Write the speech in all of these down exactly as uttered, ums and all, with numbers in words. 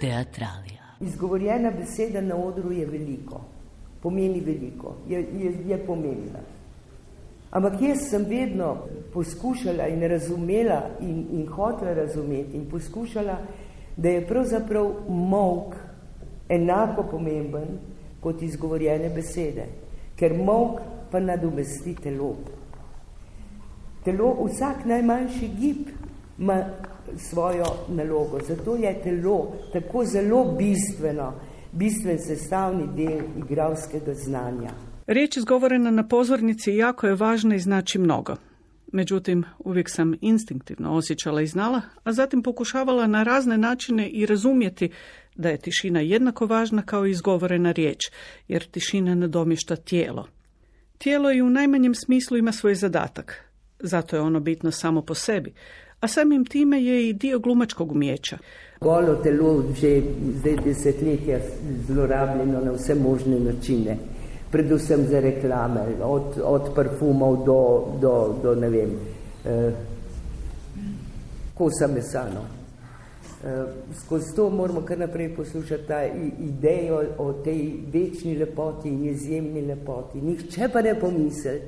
Teatralija. Izgovorjena beseda na odru je veliko, pomeni veliko, je, je, je pomembna. Ampak jaz sem vedno poskušala in razumela in, in hotela razumeti in poskušala, da je pravzaprav molk enako pomemben kot izgovorjene besede, ker molk pa nadomesti telo. Telo, vsak najmanjši gib ima svojo nalogo, zato je telo tako zelo bistveno, bistven sestavni del igralskega znanja. Riječ izgovorena na pozornici jako je važna i znači mnogo. Međutim, uvijek sam instinktivno osjećala i znala, a zatim pokušavala na razne načine i razumjeti da je tišina jednako važna kao i izgovorena riječ, jer tišina nadomješta tijelo. Tijelo i u najmanjem smislu ima svoj zadatak, zato je ono bitno samo po sebi, a samim time je i dio glumačkog umijeća. Golo telo že zdaj desetletja zlorabljeno na vse možne načine, predvsem za reklame, od, od parfumov do, do, do ne vem, eh, kosa mesano. Eh, skozi to moramo kar naprej poslušati ta idejo o tej večni lepoti in izjemni lepoti. Nihče pa ne pomisli,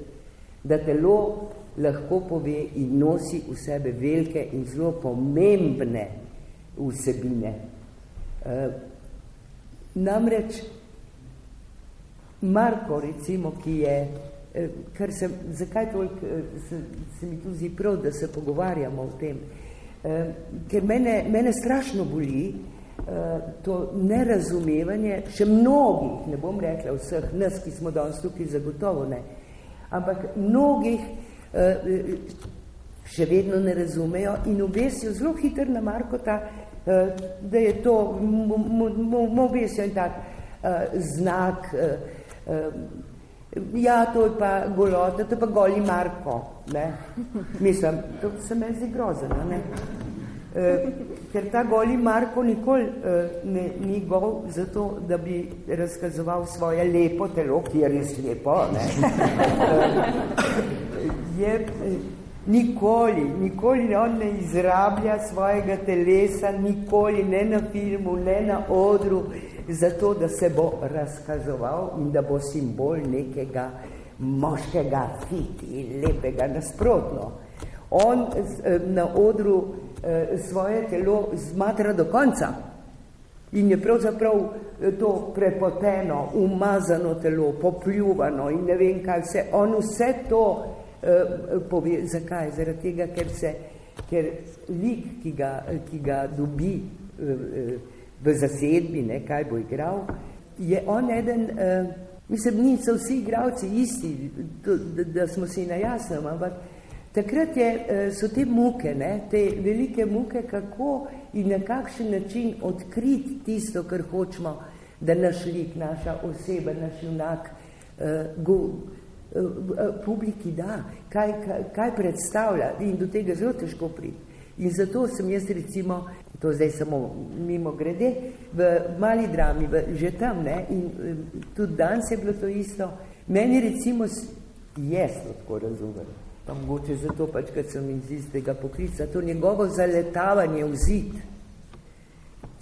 da telo lahko pove in nosi v sebe velike in zelo pomembne vsebine. E, namreč Marko, recimo, ki je, kar se, zakaj toliko se, se mi tu zdi prav, da se pogovarjamo o tem, e, ker mene, mene strašno boli e, to nerazumevanje, še mnogih, ne bom rekla vseh nas, ki smo danes tukaj, zagotovo ne, ampak mnogih še vedno ne razumejo in obesijo zelo hitro na Markota, da je to, mu obesijo in tak znak, ja, to je pa golota, to je pa goli Marko, ne. Mislim, to se me zdi grozno, ne. Ker ta goli Marko nikoli ne, ni gol zato, da bi razkazoval svoje lepo telo, ki je res lepo, ne. Je, nikoli, nikoli on ne izrablja svojega telesa, nikoli, ne na filmu, ne na odru, zato, da se bo razkazoval in da bo simbol nekega moškega, fiti, lepega, nasprotno. On na odru svoje telo zmatra do konca in je pravzaprav to prepoteno, umazano telo, popljuvano in ne vem kaj vse. On vse to pove, zakaj? Zaradi tega, ker se, ker lik, ki ga, ki ga dobi v zasedbi, ne, kaj bo igral, je on eden, mislim, niso vsi igralci isti, da, da smo si na jasnem, ampak takrat je, so te muke, ne, te velike muke, kako in na kakšen način odkriti tisto, kar hočemo, da naš lik, naša oseba, naš junak go publiki da, kaj, kaj, kaj predstavlja in do tega zelo težko priti. In zato sem jaz recimo, to zdaj samo mimo grede, v mali drami, v, že tam, ne, in tudi danes je bilo to isto, meni recimo, jaz to tako razumem, pa mogoče zato pač, kad sem iz istega poklica, to njegovo zaletavanje v zid,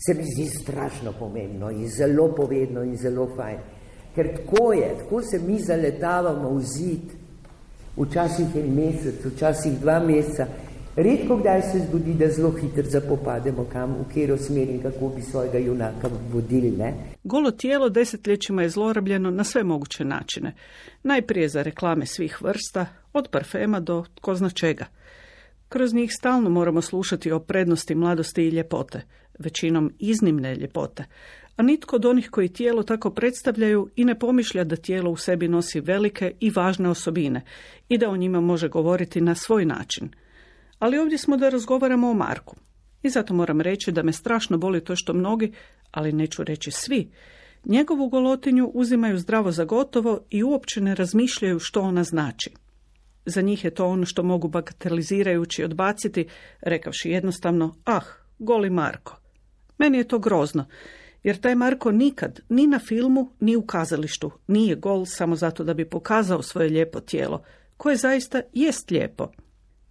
se mi zdi strašno pomembno in zelo povedno in zelo fajn. Ker tako je, tako se mi zaletavamo v zid, včasih en mesec, včasih dva meseca. Redko kdaj se zgodi, da zelo hitro zapopademo kam, v kjero smer in kako bi svojega junaka vodili, ne? Golo tijelo desetljećima je zlorabljeno na sve moguće načine. Najprije za reklame svih vrsta, od parfema do tko zna čega. Kroz njih stalno moramo slušati o prednosti mladosti i ljepote, većinom iznimne ljepote, a nitko od onih koji tijelo tako predstavljaju i ne pomišlja da tijelo u sebi nosi velike i važne osobine i da o njima može govoriti na svoj način. Ali ovdje smo da razgovaramo o Marku. I zato moram reći da me strašno boli to što mnogi, ali neću reći svi, Njegovu golotinju uzimaju zdravo za gotovo i uopće ne razmišljaju što ona znači. Za njih je to ono što mogu bagatelizirajući odbaciti, rekavši jednostavno, ah, goli Marko. Meni je to grozno, jer taj Marko nikad, ni na filmu, ni u kazalištu, nije gol samo zato da bi pokazao svoje lijepo tijelo, koje zaista jest lijepo.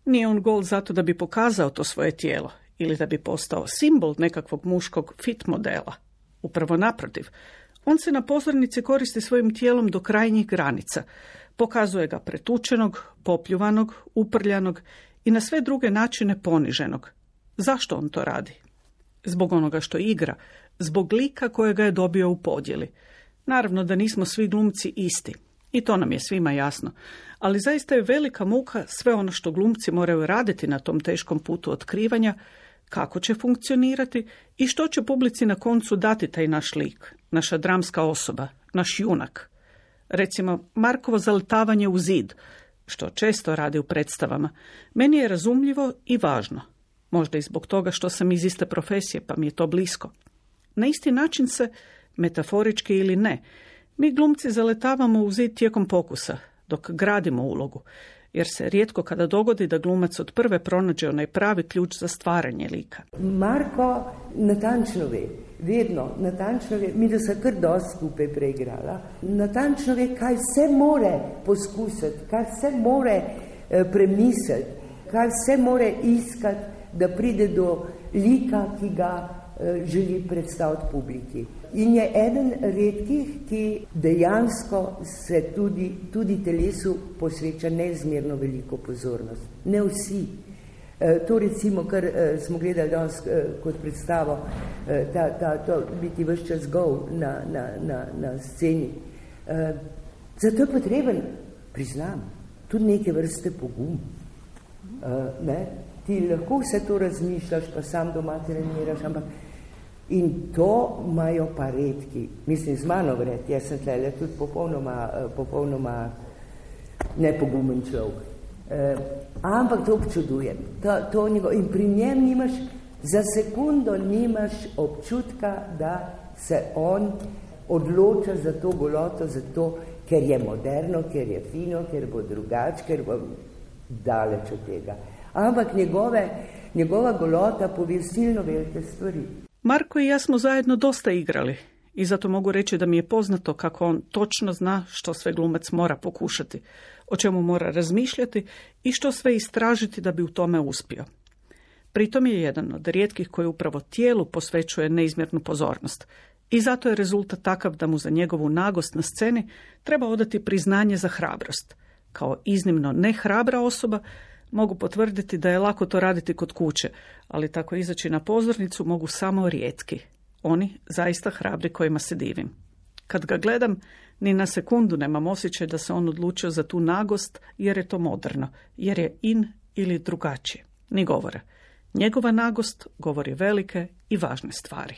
Nije on gol zato da bi pokazao to svoje tijelo ili da bi postao simbol nekakvog muškog fit modela. Upravo naprotiv, on se na pozornici koristi svojim tijelom do krajnjih granica, pokazuje ga pretučenog, popljuvanog, uprljanog i na sve druge načine poniženog. Zašto on to radi? Zbog onoga što igra, zbog lika kojega je dobio u podjeli. Naravno da nismo svi glumci isti, i to nam je svima jasno, ali zaista je velika muka sve ono što glumci moraju raditi na tom teškom putu otkrivanja, kako će funkcionirati i što će publici na koncu dati taj naš lik, naša dramska osoba, naš junak. Recimo, Markovo zaletavanje u zid, što često radi u predstavama, meni je razumljivo i važno. Možda i zbog toga što sam iz iste profesije, pa mi je to blisko. Na isti način se, metaforički ili ne, mi glumci zaletavamo u zid tijekom pokusa, dok gradimo ulogu, jer se rijetko kada dogodi da glumac od prve pronađe onaj pravi ključ za stvaranje lika. Marko natančno ve, vedno natančno ve, mi da se kar dosti skupaj preigrala, natančno ve, kaj vse more poskusiti, kaj vse more eh, premisliti, kaj vse more iskati, da pride do lika, ki ga eh, želi predstaviti publiki. In je eden redkih, ki dejansko se tudi, tudi telesu posveča neizmerno veliko pozornost. Ne vsi. E, to recimo, kar e, smo gledali danes e, kot predstavo, e, ta, ta, to biti vse čas gol na, na, na, na sceni. E, zato je potreben, priznam, tudi neke vrste pogum. E, ne? Ti lahko vse to razmišljaš, pa sam doma treniraš, ampak in to imajo pa redki. Mislim, z mano vred, jaz sem tlele tudi popolnoma, popolnoma nepogumen človek. E, ampak to občudujem. To, to njego, in pri njem nimaš, za sekundo nimaš občutka, da se on odloča za to goloto, zato, ker je moderno, ker je fino, ker bo drugač, ker bo daleč od tega. Ampak njegove, njegova golota pove silno velike stvari. Marko i ja smo zajedno dosta igrali i zato mogu reći da mi je poznato kako on točno zna što sve glumac mora pokušati, o čemu mora razmišljati i što sve istražiti da bi u tome uspio. Pritom je jedan od rijetkih koji upravo tijelu posvećuje neizmjernu pozornost i zato je rezultat takav da mu za njegovu nagost na sceni treba odati priznanje za hrabrost. Kao iznimno nehrabra osoba mogu potvrditi da je lako to raditi kod kuće, ali tako izaći na pozornicu mogu samo rijetki. Oni zaista hrabri kojima se divim. Kad ga gledam, ni na sekundu nemam osjećaj da se on odlučio za tu nagost jer je to moderno, jer je in ili drugačije. Ni govora. Njegova nagost govori velike i važne stvari.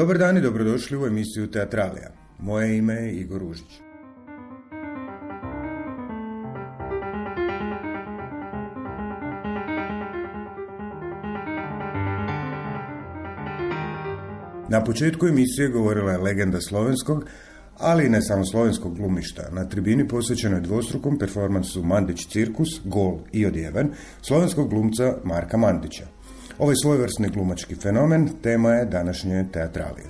Dobar dan i dobrodošli u emisiju Teatralija. Moje ime je Igor Ružić. Na početku emisije govorila je legenda slovenskog, ali i ne samo slovenskog glumišta. Na tribini posvećenoj dvostrukom performansu Mandić cirkus, gol i odjeven, slovenskog glumca Marka Mandića. Ovaj svojevrsni glumački fenomen tema je današnje Teatralije.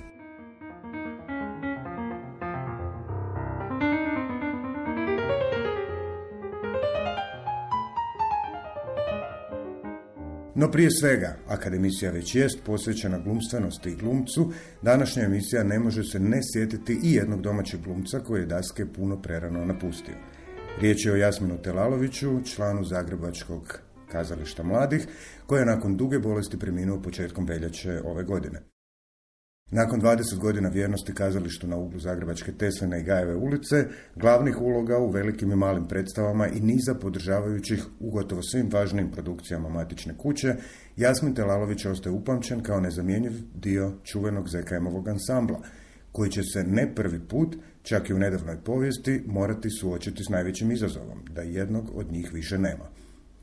No prije svega, akademisija već jest posvećena glumstvenosti i glumcu, današnja emisija ne može se ne sjetiti i jednog domaćeg glumca koji je daske puno prerano napustio. Riječ je o Jasminu Telaloviću, članu Zagrebačkog kazališta mladih, koji je nakon duge bolesti preminuo početkom veljače ove godine. Nakon dvadeset godina vjernosti kazalištu na uglu Zagrebačke Tesline i Gajeve ulice, glavnih uloga u velikim i malim predstavama i niza podržavajućih u gotovo svim važnim produkcijama matične kuće, Jasmin Telalović ostaje upamćen kao nezamjenjiv dio čuvenog Z K M-ovog ansambla, koji će se ne prvi put, čak i u nedavnoj povijesti, morati suočiti s najvećim izazovom, da jednog od njih više nema.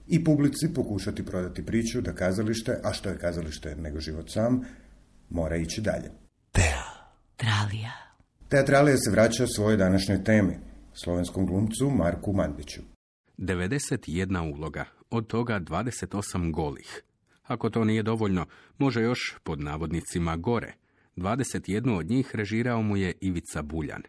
I publici pokušati prodati priču da kazalište, a što je kazalište nego život sam, mora ići dalje. Teatralija. Teatralija se vraća svojoj današnjoj temi, slovenskom glumcu Marku Mandiću. devedeset jedna uloga, od toga dvadeset osam golih. Ako to nije dovoljno, može još, pod navodnicima, gore. dvadeset jednu od njih režirao mu je Ivica Buljan.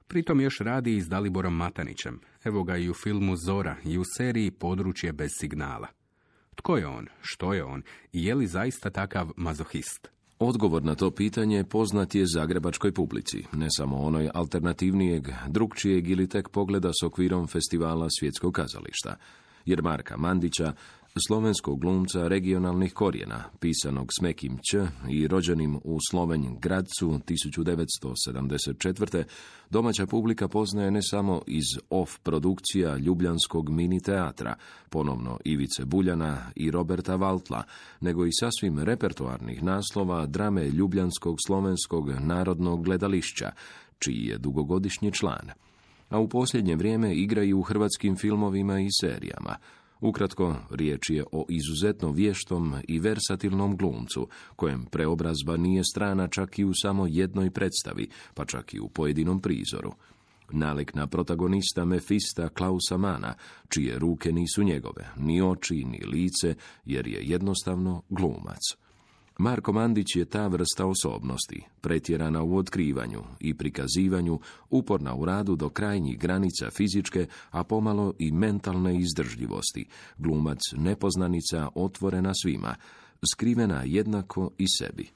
Pritom još radi i s Daliborom Matanićem. Evo ga i u filmu Zora i u seriji Područje bez signala. Tko je on? Što je on? I je li zaista takav mazohist? Odgovor na to pitanje poznat je zagrebačkoj publici, ne samo onoj alternativnijeg, drugčijeg ili tek pogleda s okvirom festivala Svjetskog kazališta. Jer Marka Mandića, slovenskog glumca regionalnih korijena, pisanog s mekim ć i rođenim u Slovenj Gradcu tisuću devetsto sedamdeset četvrte. domaća publika poznaje ne samo iz off produkcija ljubljanskog mini teatra, ponovno Ivice Buljana i Roberta Valtla, nego i sasvim repertoarnih naslova drame Ljubljanskog slovenskog narodnog gledališća, čiji je dugogodišnji član. A u posljednje vrijeme igra i u hrvatskim filmovima i serijama. Ukratko, riječ je o izuzetno vještom i versatilnom glumcu, kojem preobrazba nije strana čak i u samo jednoj predstavi, pa čak i u pojedinom prizoru. Nalik na protagonista Mefista Klausa Mana, čije ruke nisu njegove, ni oči, ni lice, jer je jednostavno glumac. Marko Mandić je ta vrsta osobnosti, pretjerana u otkrivanju i prikazivanju, uporna u radu do krajnjih granica fizičke, a pomalo i mentalne izdržljivosti, glumac nepoznanica otvorena svima, skrivena jednako i sebi.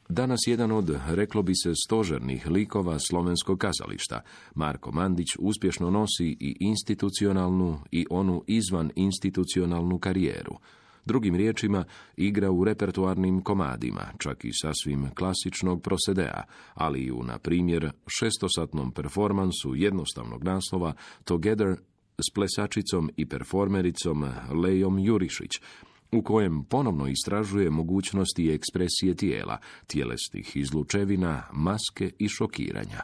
Danas jedan od, reklo bi se, stožernih likova slovenskog kazališta, Marko Mandić uspješno nosi i institucionalnu i onu izvan institucionalnu karijeru. Drugim riječima, igra u repertoarnim komadima, čak i sasvim klasičnog prosedea, ali i u, na primjer, šestosatnom performansu jednostavnog naslova Together s plesačicom i performericom Lejom Jurišić, u kojem ponovno istražuje mogućnosti ekspresije tijela, tjelesnih izlučevina, maske i šokiranja.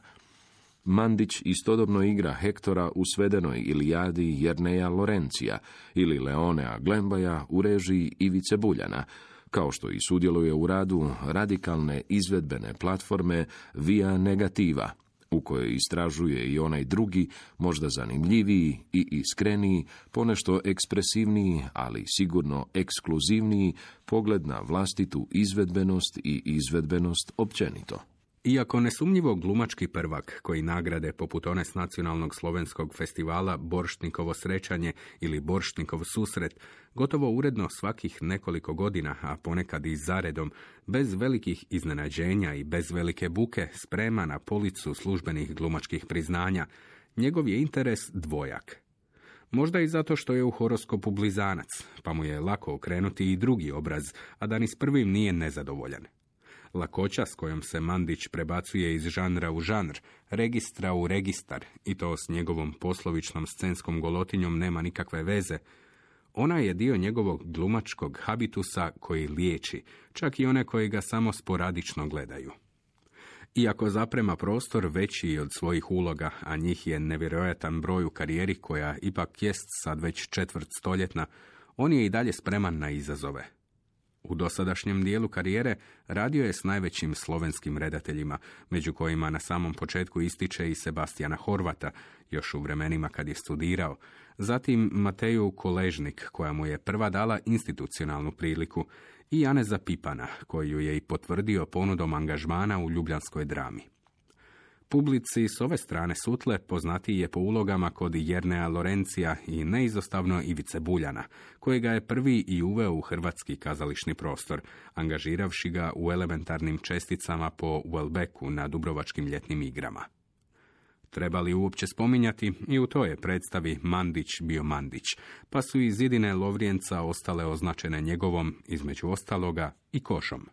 Mandić istodobno igra Hektora u svedenoj Ilijadi Jerneja Lorencija ili Leonea Glembaja u režiji Ivice Buljana, kao što i sudjeluje u radu radikalne izvedbene platforme Via Negativa, u kojoj istražuje i onaj drugi, možda zanimljiviji i iskreniji, ponešto ekspresivniji, ali sigurno ekskluzivniji pogled na vlastitu izvedbenost i izvedbenost općenito. Iako nesumnjivo glumački prvak, koji nagrade poput one s nacionalnog slovenskog festivala Borštnikovo srećanje ili Borštnikov susret, gotovo uredno svakih nekoliko godina, a ponekad i zaredom, bez velikih iznenađenja i bez velike buke, sprema na policu službenih glumačkih priznanja, njegov je interes dvojak. Možda i zato što je u horoskopu blizanac, pa mu je lako okrenuti i drugi obraz, a da ni s prvim nije nezadovoljan. Lakoća s kojom se Mandić prebacuje iz žanra u žanr, registra u registar, i to s njegovom poslovičnom scenskom golotinjom nema nikakve veze, ona je dio njegovog glumačkog habitusa koji liječi, čak i one koji ga samo sporadično gledaju. Iako zaprema prostor veći od svojih uloga, a njih je nevjerojatan broj u karijeri koja ipak jest sad već četvrt stoljetna, on je i dalje spreman na izazove. U dosadašnjem dijelu karijere radio je s najvećim slovenskim redateljima, među kojima na samom početku ističe i Sebastijana Horvata, još u vremenima kad je studirao, zatim Mateju Koležnik, koja mu je prva dala institucionalnu priliku, i Janeza Pipana, koju je i potvrdio ponudom angažmana u ljubljanskoj drami. Publici s ove strane sutle poznatiji je po ulogama kod Jernea Lorencija i neizostavno Ivice Buljana, kojega je prvi i uveo u hrvatski kazališni prostor, angažiravši ga u elementarnim česticama po Welbecku na Dubrovačkim ljetnim igrama. Treba li uopće spominjati, i u toj je predstavi Mandić bio Mandić, pa su i zidine Lovrijenca ostale označene njegovom, između ostaloga, i košom.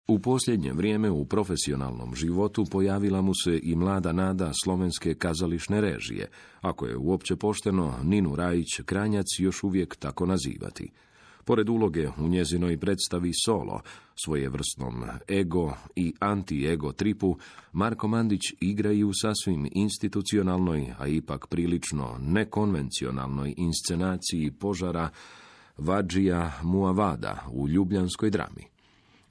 U posljednje vrijeme u profesionalnom životu pojavila mu se i mlada nada slovenske kazališne režije, ako je uopće pošteno Ninu Rajić Kranjac još uvijek tako nazivati. Pored uloge u njezinoj predstavi Solo, svojevrsnom ego i anti-ego tripu, Marko Mandić igra i u sasvim institucionalnoj, a ipak prilično nekonvencionalnoj inscenaciji požara Vadžija Muavada u ljubljanskoj drami.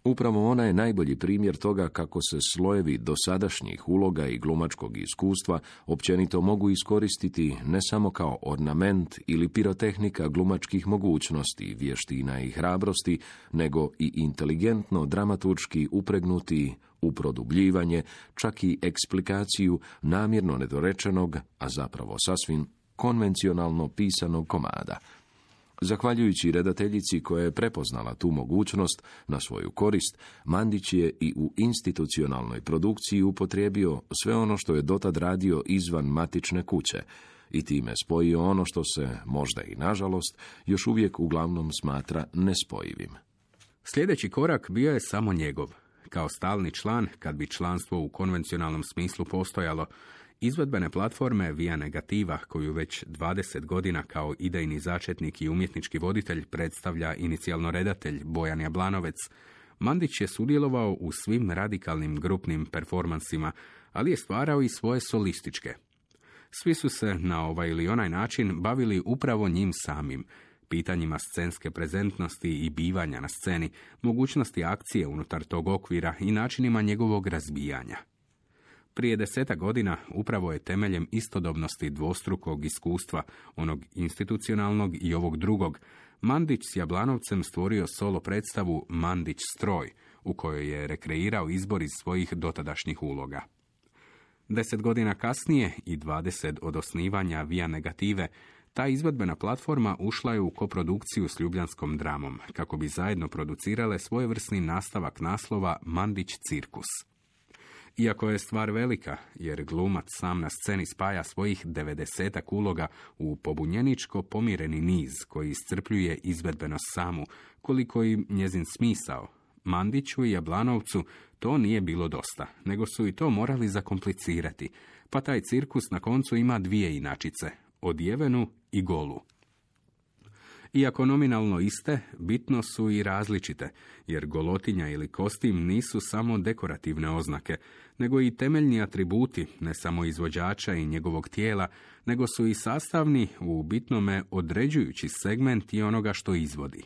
Upravo ona je najbolji primjer toga kako se slojevi dosadašnjih uloga i glumačkog iskustva općenito mogu iskoristiti ne samo kao ornament ili pirotehnika glumačkih mogućnosti, vještina i hrabrosti, nego i inteligentno dramaturški upregnuti u produbljivanje, čak i eksplikaciju namjerno nedorečenog, a zapravo sasvim konvencionalno pisanog komada. Zahvaljujući redateljici koja je prepoznala tu mogućnost na svoju korist, Mandić je i u institucionalnoj produkciji upotrijebio sve ono što je dotad radio izvan matične kuće i time spojio ono što se, možda i nažalost, još uvijek uglavnom smatra nespojivim. Sljedeći korak bio je samo njegov. Kao stalni član, kad bi članstvo u konvencionalnom smislu postojalo, izvedbene platforme Via Negativa, koju već dvadeset godina kao idejni začetnik i umjetnički voditelj predstavlja inicijalno redatelj Bojan Jablanovec, Mandić je sudjelovao u svim radikalnim grupnim performansima, ali je stvarao i svoje solističke. Svi su se na ovaj ili onaj način bavili upravo njim samim, pitanjima scenske prezentnosti i bivanja na sceni, mogućnosti akcije unutar tog okvira i načinima njegovog razbijanja. Prije deseta godina upravo je temeljem istodobnosti dvostrukog iskustva, onog institucionalnog i ovog drugog, Mandić s Jablanovcem stvorio solo predstavu Mandić stroj, u kojoj je rekreirao izbor iz svojih dotadašnjih uloga. Deset godina kasnije i dvadeset od osnivanja Via Negative, ta izvedbena platforma ušla je u koprodukciju s Ljubljanskom dramom, kako bi zajedno producirale svojevrsni nastavak naslova Mandić cirkus. Iako je stvar velika, jer glumac sam na sceni spaja svojih devedesetak uloga u pobunjeničko pomireni niz koji iscrpljuje izvedbenost samu, koliko i njezin smisao, Mandiću i Jablanovcu to nije bilo dosta, nego su i to morali zakomplicirati, pa taj cirkus na koncu ima dvije inačice, odjevenu i golu. Iako nominalno iste, bitno su i različite, jer golotinja ili kostim nisu samo dekorativne oznake, nego i temeljni atributi ne samo izvođača i njegovog tijela, nego su i sastavni, u bitnome određujući segment i onoga što izvodi.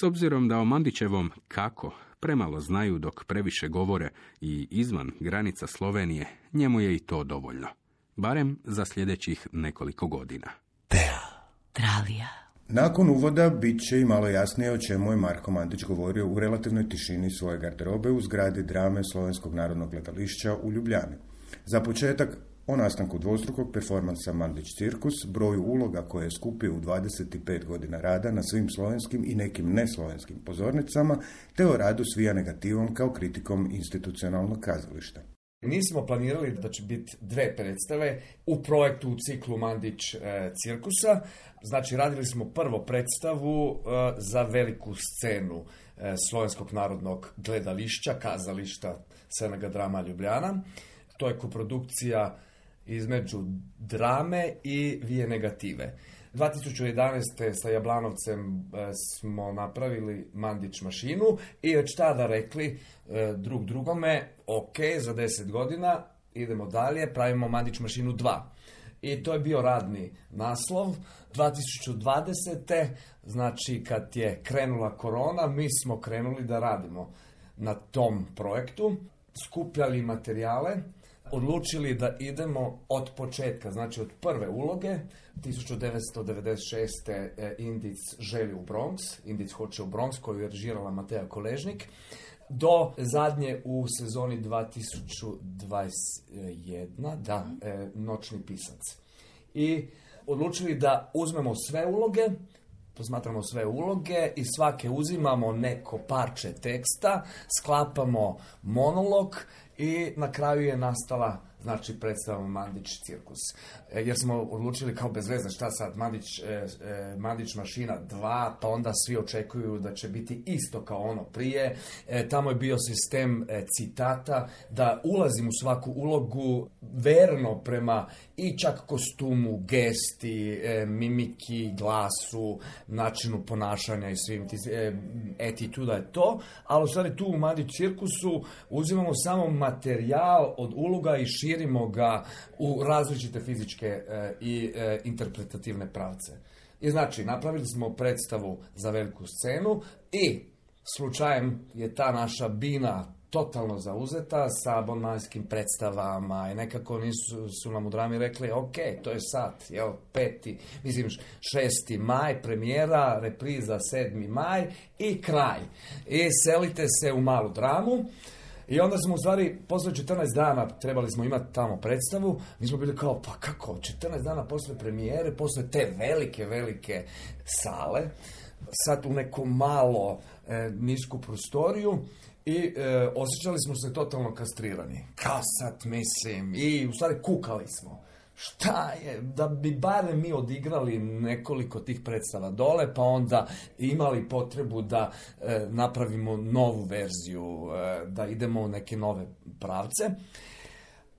S obzirom da o Mandićevom kako premalo znaju dok previše govore i izvan granica Slovenije, njemu je i to dovoljno. Barem za sljedećih nekoliko godina. Teatralija. Nakon uvoda bit će i malo jasnije o čemu je Marko Mandić govorio u relativnoj tišini svoje garderobe u zgradi drame Slovenskog narodnog gledališća u Ljubljani. Za početak o nastanku dvostrukog performansa Mandić cirkus, broju uloga koje je skupio u dvadeset pet godina rada na svim slovenskim i nekim neslovenskim pozornicama, te o radu s Via Negativom kao kritikom institucionalnog kazališta. Nismo planirali da će biti dve predstave u projektu u ciklu Mandić e, cirkusa. Znači, radili smo prvo predstavu e, za veliku scenu e, Slovenskog narodnog gledališća, kazališta Senega drama Ljubljana. To je koprodukcija između drame i Via Negative. dvije tisuće jedanaeste. sa Jablanovcem e, smo napravili Mandić mašinu i već tada rekli e, drug drugome, ok, za deset godina idemo dalje, pravimo Mandić mašinu dva. I to je bio radni naslov. dvije tisuće dvadesete. znači kad je krenula korona, mi smo krenuli da radimo na tom projektu, skupljali materijale, odlučili da idemo od početka, znači od prve uloge. tisuću devetsto devedeset šeste. Indic želi u Bronx, Indic hoće u Bronx, koju je režirala Mateja Koležnik. do zadnje u sezoni dva tisuće dvadeset jedna, da, e, Noćni pisac. I odlučili da uzmemo sve uloge, posmatramo sve uloge i svake uzimamo neko parče teksta, sklapamo monolog i na kraju je nastala, znači, predstava Mandić cirkus. E, jer smo odlučili kao bez veze šta sad, Mandić, e, e, Mandić mašina dva, pa onda svi očekuju da će biti isto kao ono prije. E, tamo je bio sistem e, citata, da ulazim u svaku ulogu verno prema i čak kostumu, gesti, e, mimiki, glasu, načinu ponašanja i svim ti, e, etituda je to, ali u stvari tu u Mandić cirkusu uzimamo samo materijal od uloga i širimo ga u različite fizičke e, i e, interpretativne pravce. I znači, napravili smo predstavu za veliku scenu i slučajem je ta naša bina totalno zauzeta sa abonmanskim predstavama i nekako nisu su nam u drami rekli, ok, to je sad, jel, peti, mislim, šesti maj, premijera, repriza sedmi maj i kraj. I selite se u malu dramu. I onda smo u stvari, posle četrnaest dana trebali smo imati tamo predstavu, mi smo bili kao, pa kako, četrnaest dana posle premijere, posle te velike, velike sale, sad u neku malo e, nisku prostoriju i e, osjećali smo se totalno kastrirani. Kao sad, mislim, i u stvari kukali smo. Šta je, da bi barem mi odigrali nekoliko tih predstava dole, pa onda imali potrebu da e, napravimo novu verziju, e, da idemo u neke nove pravce.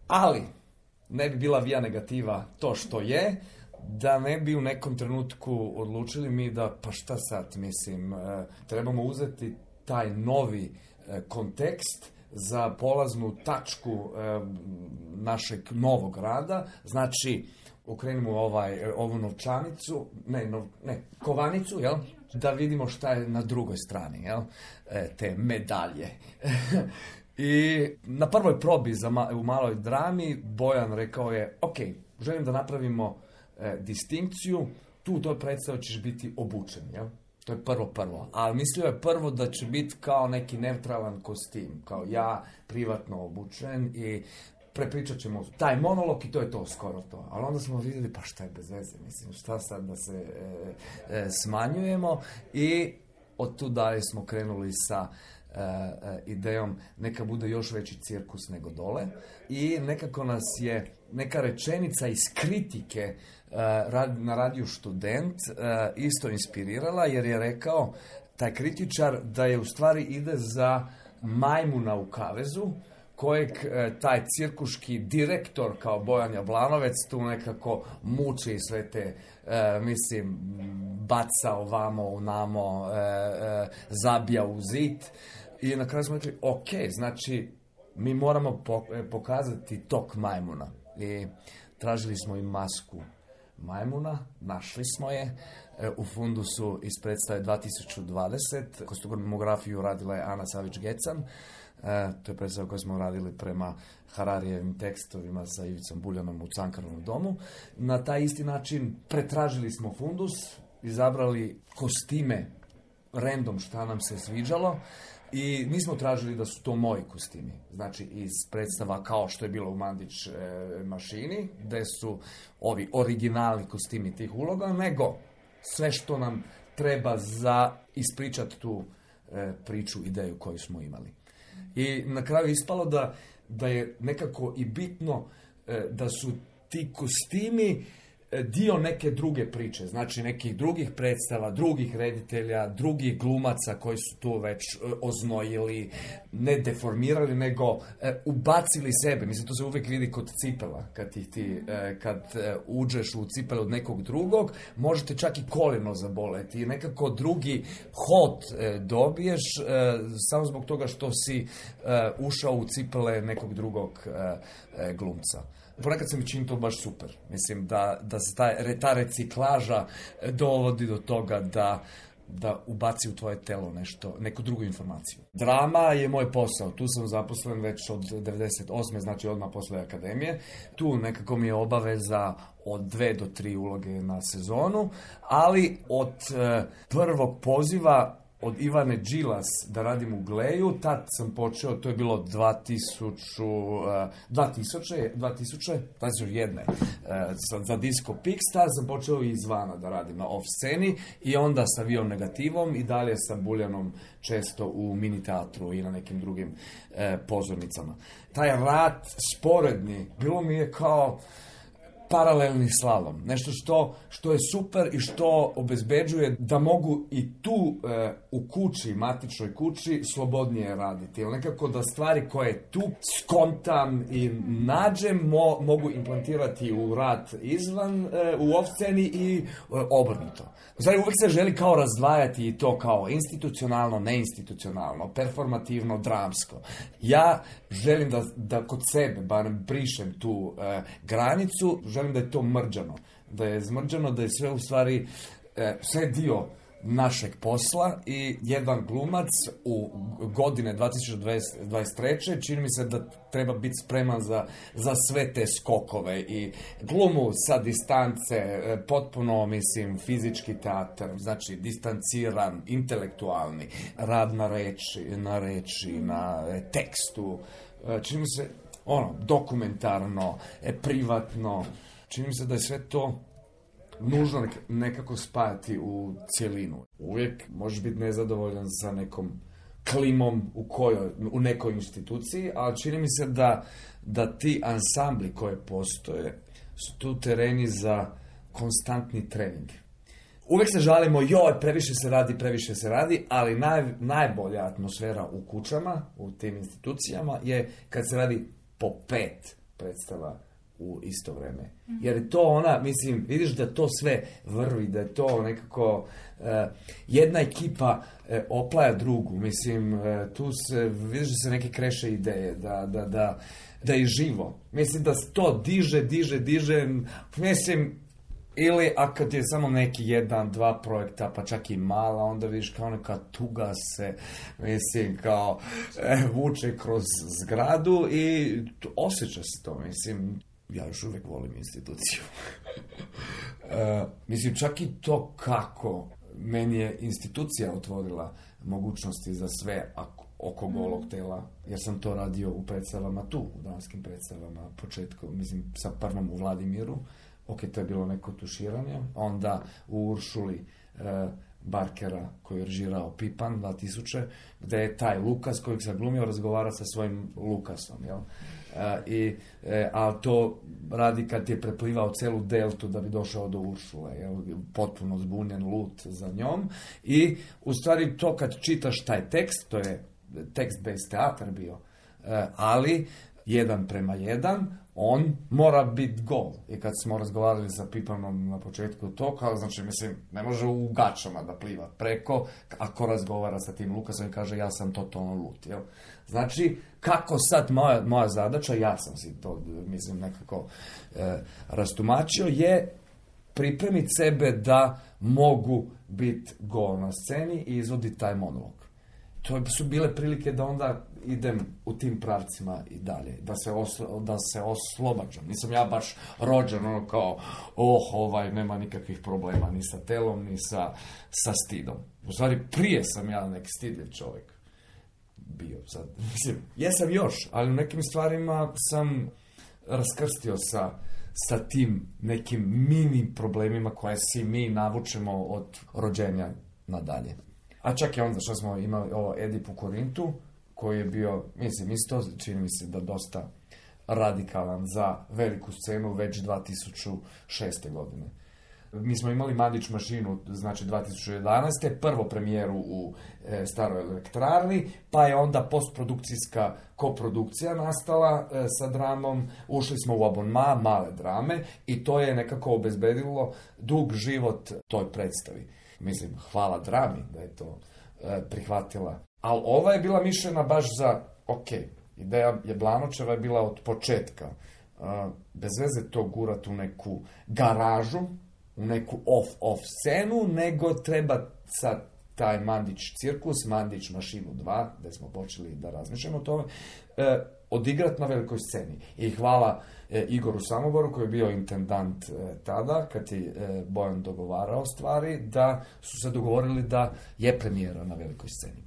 Ali, ne bi bila via negativa to što je, da ne bi u nekom trenutku odlučili mi da, pa šta sad, mislim, e, trebamo uzeti taj novi e, kontekst za polaznu tačku e, našeg novog rada, znači okrenimo ovaj, ovu novčanicu, ne, nov, ne, kovanicu, jel? Da vidimo šta je na drugoj strani, jel? E, te medalje. I na prvoj probi za ma, u maloj drami Bojan rekao je, ok, želim da napravimo e, distinkciju, tu u toj predstavi ćeš biti obučen, jel? To je prvo prvo. Ali mislio je prvo da će biti kao neki neutralan kostim. Kao ja, privatno obučen i prepričat ćemo taj monolog i to je to, skoro to. Ali onda smo vidjeli, pa šta je bez veze, mislim, šta sad da se e, e, smanjujemo i od tu dalje smo krenuli sa e, e, idejom neka bude još veći cirkus nego dole i nekako nas je neka rečenica iz kritike na radiju Student isto inspirirala, jer je rekao taj kritičar da je u stvari ide za majmuna u kavezu, kojeg taj cirkuški direktor kao Bojan Jablanovec tu nekako muči sve te, mislim, baca ovamo, unamo, zabija u zid. I na kraju smo rekli, ok, znači mi moramo pokazati tok majmuna. I tražili smo i masku majmuna, našli smo je u fundusu iz predstave dva tisuće dvadeset. Kostumografiju radila je Ana Savić-Gecan. E, to je predstava koju smo radili prema Hararijevim tekstovima sa Ivicom Buljanom u Cankarovom domu. Na taj isti način pretražili smo fundus, izabrali kostime random šta nam se sviđalo i nismo tražili da su to moji kostimi. Znači iz predstava kao što je bilo u Mandić e, mašini, gde su ovi originalni kostimi tih uloga, nego sve što nam treba za ispričati tu e, priču, ideju koju smo imali. I na kraju ispalo da, da je nekako i bitno e, da su ti kostimi dio neke druge priče, znači nekih drugih predstava, drugih reditelja, drugih glumaca koji su tu već oznojili, ne deformirali, nego e, ubacili sebe. Mislim, to se uvijek vidi kod cipela. Kad, ti, ti, e, kad e, uđeš u cipele od nekog drugog, možete čak i koljeno zaboleti. I nekako drugi hod e, dobiješ e, samo zbog toga što si e, ušao u cipele nekog drugog e, e, glumca. Ponekad se mi čini to baš super. Mislim da, da se ta, ta reciklaža dovodi do toga da, da ubaci u tvoje telo nešto, neku drugu informaciju. Drama je moj posao. Tu sam zaposlen već od devedeset osme, znači odmah posle akademije. Tu nekako mi je obaveza od dve do tri uloge na sezonu, ali od e, prvog poziva od Ivane Đilas da radim u Gleju, tad sam počeo, to je bilo dva tisuće, dva tisuće, dva tisuće, dva tisuće jedan, za, za Disco Pix, tad sam počeo i izvana da radim na off sceni i onda sa Viom Negativom i dalje sa Buljanom često u mini teatru i na nekim drugim e, pozornicama. Taj rad sporedni, bilo mi je kao paralelni slalom. Nešto što, što je super i što obezbeđuje da mogu i tu e, u kući, matičnoj kući, slobodnije raditi. Jer nekako da stvari koje tu skontam i nađem mo, mogu implantirati u rad izvan, e, u off-sceni i e, obrnuto. Znači, uvijek se želi kao razdvajati i to kao institucionalno, neinstitucionalno, performativno, dramsko. Ja želim da, da kod sebe, barem brišem tu e, granicu, želim da je to mrđano. Da je zmrđano, da je sve u stvari, e, sve dio našeg posla i jedan glumac u godine dva tisuće dvadeset treće čini mi se da treba biti spreman za, za sve te skokove i glumu sa distance, potpuno, mislim, fizički teatar, znači distanciran, intelektualni, rad na reči, na reči, na tekstu, čini mi se, ono, dokumentarno, privatno, čini mi se da je sve to nužno nekako spajati u cjelinu. Uvijek možeš biti nezadovoljan sa nekom klimom u, kojoj, u nekoj instituciji, ali čini mi se da, da ti ansambli koje postoje su tu tereni za konstantni trening. Uvijek se žalimo, joj, previše se radi, previše se radi, ali naj, najbolja atmosfera u kućama, u tim institucijama, je kad se radi po pet predstava u isto vrijeme. Jer je to ona, mislim, vidiš da to sve vrvi, da je to nekako uh, jedna ekipa uh, oplaja drugu, mislim, uh, tu se, vidiš da se neke kreše ideje, da, da, da, da je živo. Mislim da se to diže, diže, diže, mislim, ili a kad je samo neki jedan, dva projekta, pa čak i mala, onda vidiš kao neka tuga se, mislim, kao e, vuče kroz zgradu i osjeća se to, mislim. Ja još uvijek volim instituciju. uh, mislim, čak i to kako meni je institucija otvorila mogućnosti za sve ako, oko golog tela, jer sam to radio u predstavama tu, u dramskim predstavama, početku, mislim, sa prvom u Vladimiru, ok, to je bilo neko tuširanje, onda u Uršuli uh, Barkera koji je režirao Pipan dva tisuće, gdje je taj Lukas kojeg sam glumio razgovara sa svojim Lukasom, jel? Uh, i, e, ali to radi kad je preplivao celu deltu da bi došao do Uršule, jel? Potpuno zbunjen, lut za njom. I u stvari to kad čitaš taj tekst, to je tekst-based teatar bio, uh, ali jedan prema jedan, on mora biti gol. I kad smo razgovarali sa Pipanom na početku to, kao, znači, mislim, ne može u gačama da pliva preko, ako razgovara sa tim Lukasom i kaže ja sam totalno lut, jel? Znači, kako sad moja, moja zadaća, ja sam si to, mislim, nekako e, rastumačio, je pripremiti sebe da mogu biti gol na sceni i izvoditi taj monolog. To su bile prilike da onda idem u tim pravcima i dalje, da se, oslo, da se oslobađam. Nisam ja baš rođen, ono kao, oh, ovaj, nema nikakvih problema, ni sa telom, ni sa, sa stidom. U stvari, prije sam ja neki stidljiv čovjek bio. Sad, mislim, jesam još, ali u nekim stvarima sam raskrstio sa, sa tim nekim mini problemima koje si mi navučemo od rođenja nadalje. A čak i onda što smo imali ovo Edip u Korintu, koji je bio, mislim, isto, čini mi se da dosta radikalan za veliku scenu već dva tisuće šeste. godine. Mi smo imali Mandić mašinu, znači dva tisuće jedanaeste. prvo premijeru u e, Staroj elektrarni, pa je onda postprodukcijska koprodukcija nastala e, sa dramom. Ušli smo u abonma, male drame, i to je nekako obezbedilo dug život toj predstavi. Mislim, hvala drami da je to e, prihvatila. Ali ova je bila mišljena baš za, ok, ideja Jablanočeva je bila od početka. Uh, bez veze to gurat u neku garažu, u neku off-off scenu, nego treba sad taj Mandić cirkus, Mandić mašinu dva, gdje smo počeli da razmišljamo o tome, uh, odigrat na velikoj sceni. I hvala e, Igoru Samoboru, koji je bio intendant e, tada, kad je e, Bojan dogovarao stvari, da su se dogovorili da je premijera na velikoj sceni.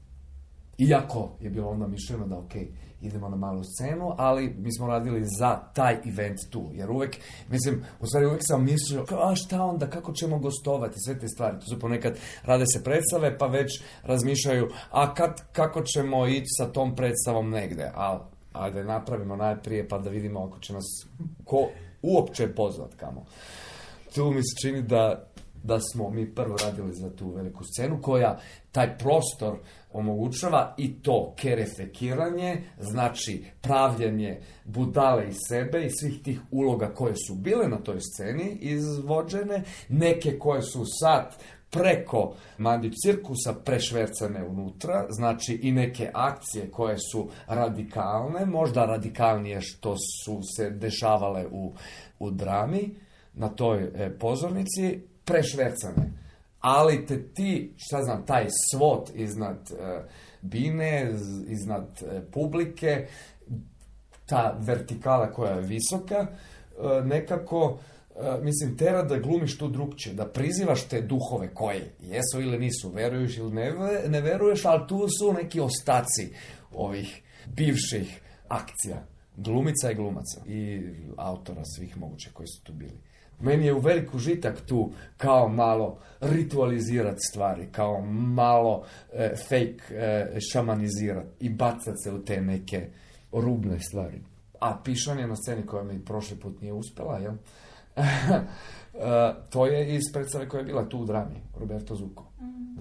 Iako je bilo onda mišljeno da ok, idemo na malu scenu, ali mi smo radili za taj event tu, jer uvek, mislim, u stvari uvek sam mislio, a šta onda, kako ćemo gostovati, sve te stvari, to su ponekad rade se predstave, pa već razmišljaju, a kad, kako ćemo ići sa tom predstavom negde, ali ajde napravimo najprije pa da vidimo ako će nas ko uopće pozvat kamo. Tu mi se čini da da smo mi prvo radili za tu veliku scenu koja taj prostor omogućava i to kerefekiranje, znači pravljenje budale iz sebe i svih tih uloga koje su bile na toj sceni izvođene, neke koje su sad preko Mandić cirkusa prešvercane unutra, znači i neke akcije koje su radikalne, možda radikalnije što su se dešavale u, u drami na toj e, pozornici, prešvercane. Ali te ti, šta znam, taj svot iznad e, bine, iznad e, publike, ta vertikala koja je visoka, e, nekako, e, mislim, tera da glumiš tu drugčije, da prizivaš te duhove koje jesu ili nisu, veruješ ili ne, ne veruješ, ali tu su neki ostaci ovih bivših akcija, glumica i glumaca i autora svih mogućih koji su tu bili. Meni je u velik užitak tu kao malo ritualizirati stvari, kao malo e, fake e, šamanizirati i bacati se u te neke rubne stvari. A pišanje na sceni koja mi prošli put nije uspjela, jel? e, to je iz predstave koja je bila tu u drami, Roberto Zucco.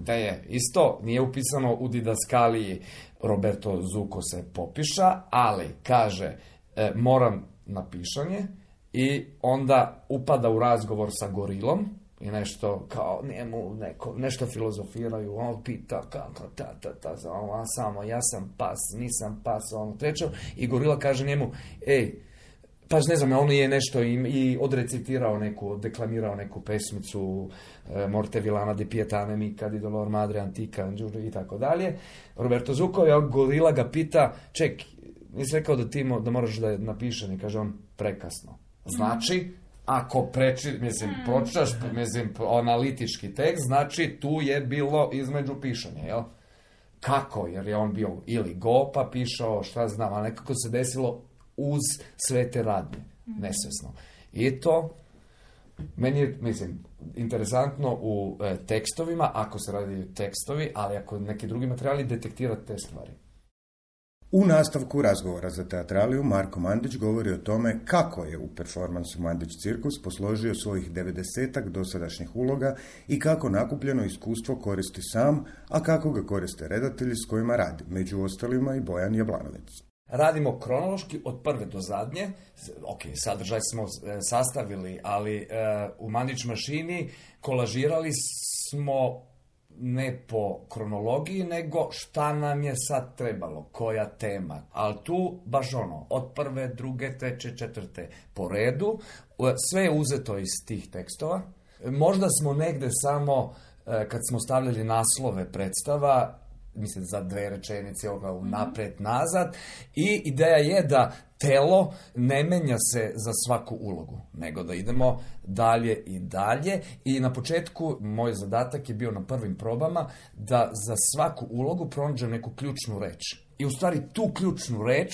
Da je isto, nije upisano u didaskaliji Roberto Zucco se popiša, ali kaže e, moram na pišanje, i onda upada u razgovor sa gorilom i nešto kao njemu neko, nešto filozofiraju, on pita kako ta ta ta, on samo ja sam pas, nisam pas, ono treće, i gorila kaže njemu, ej, pa ne znam, on je nešto i, i odrecitirao neku, deklamirao neku pesmicu e, Morte Villana di Pietà nemica di dolor madre antica i tako dalje. Roberto Zucco, a gorila ga pita, ček, nisi rekao da ti mo, da moraš da napišem, i kaže on, prekasno. Znači, ako preči, mislim, pročitaš, mislim, analitički tekst, znači tu je bilo između pišanja, jel? Kako? Jer je on bio ili go, pa pišao, šta znam, a nekako se desilo uz sve te radnje, nesvesno. I to, meni je, mislim, interesantno u e, tekstovima, ako se radi tekstovi, ali ako neki drugi materijali, detektirati te stvari. U nastavku razgovora za teatraliju Marko Mandić govori o tome kako je u performansu Mandić cirkus posložio svojih devedesetak dosadašnjih uloga i kako nakupljeno iskustvo koristi sam, a kako ga koriste redatelji s kojima radi, među ostalima i Bojan Jablanovec. Radimo kronološki od prve do zadnje. Ok, sadržaj smo sastavili, ali e, u Mandić mašini kolažirali smo ne po kronologiji, nego šta nam je sad trebalo, koja tema. Ali tu, baš ono, od prve, druge, treće, četvrte po redu, sve je uzeto iz tih tekstova. Možda smo negde samo, kad smo stavljali naslove predstava, mislim za dve rečenice ovoga napred nazad, i ideja je da telo ne menja se za svaku ulogu, nego da idemo dalje i dalje. I na početku moj zadatak je bio na prvim probama da za svaku ulogu pronađem neku ključnu reč. I u stvari tu ključnu reč,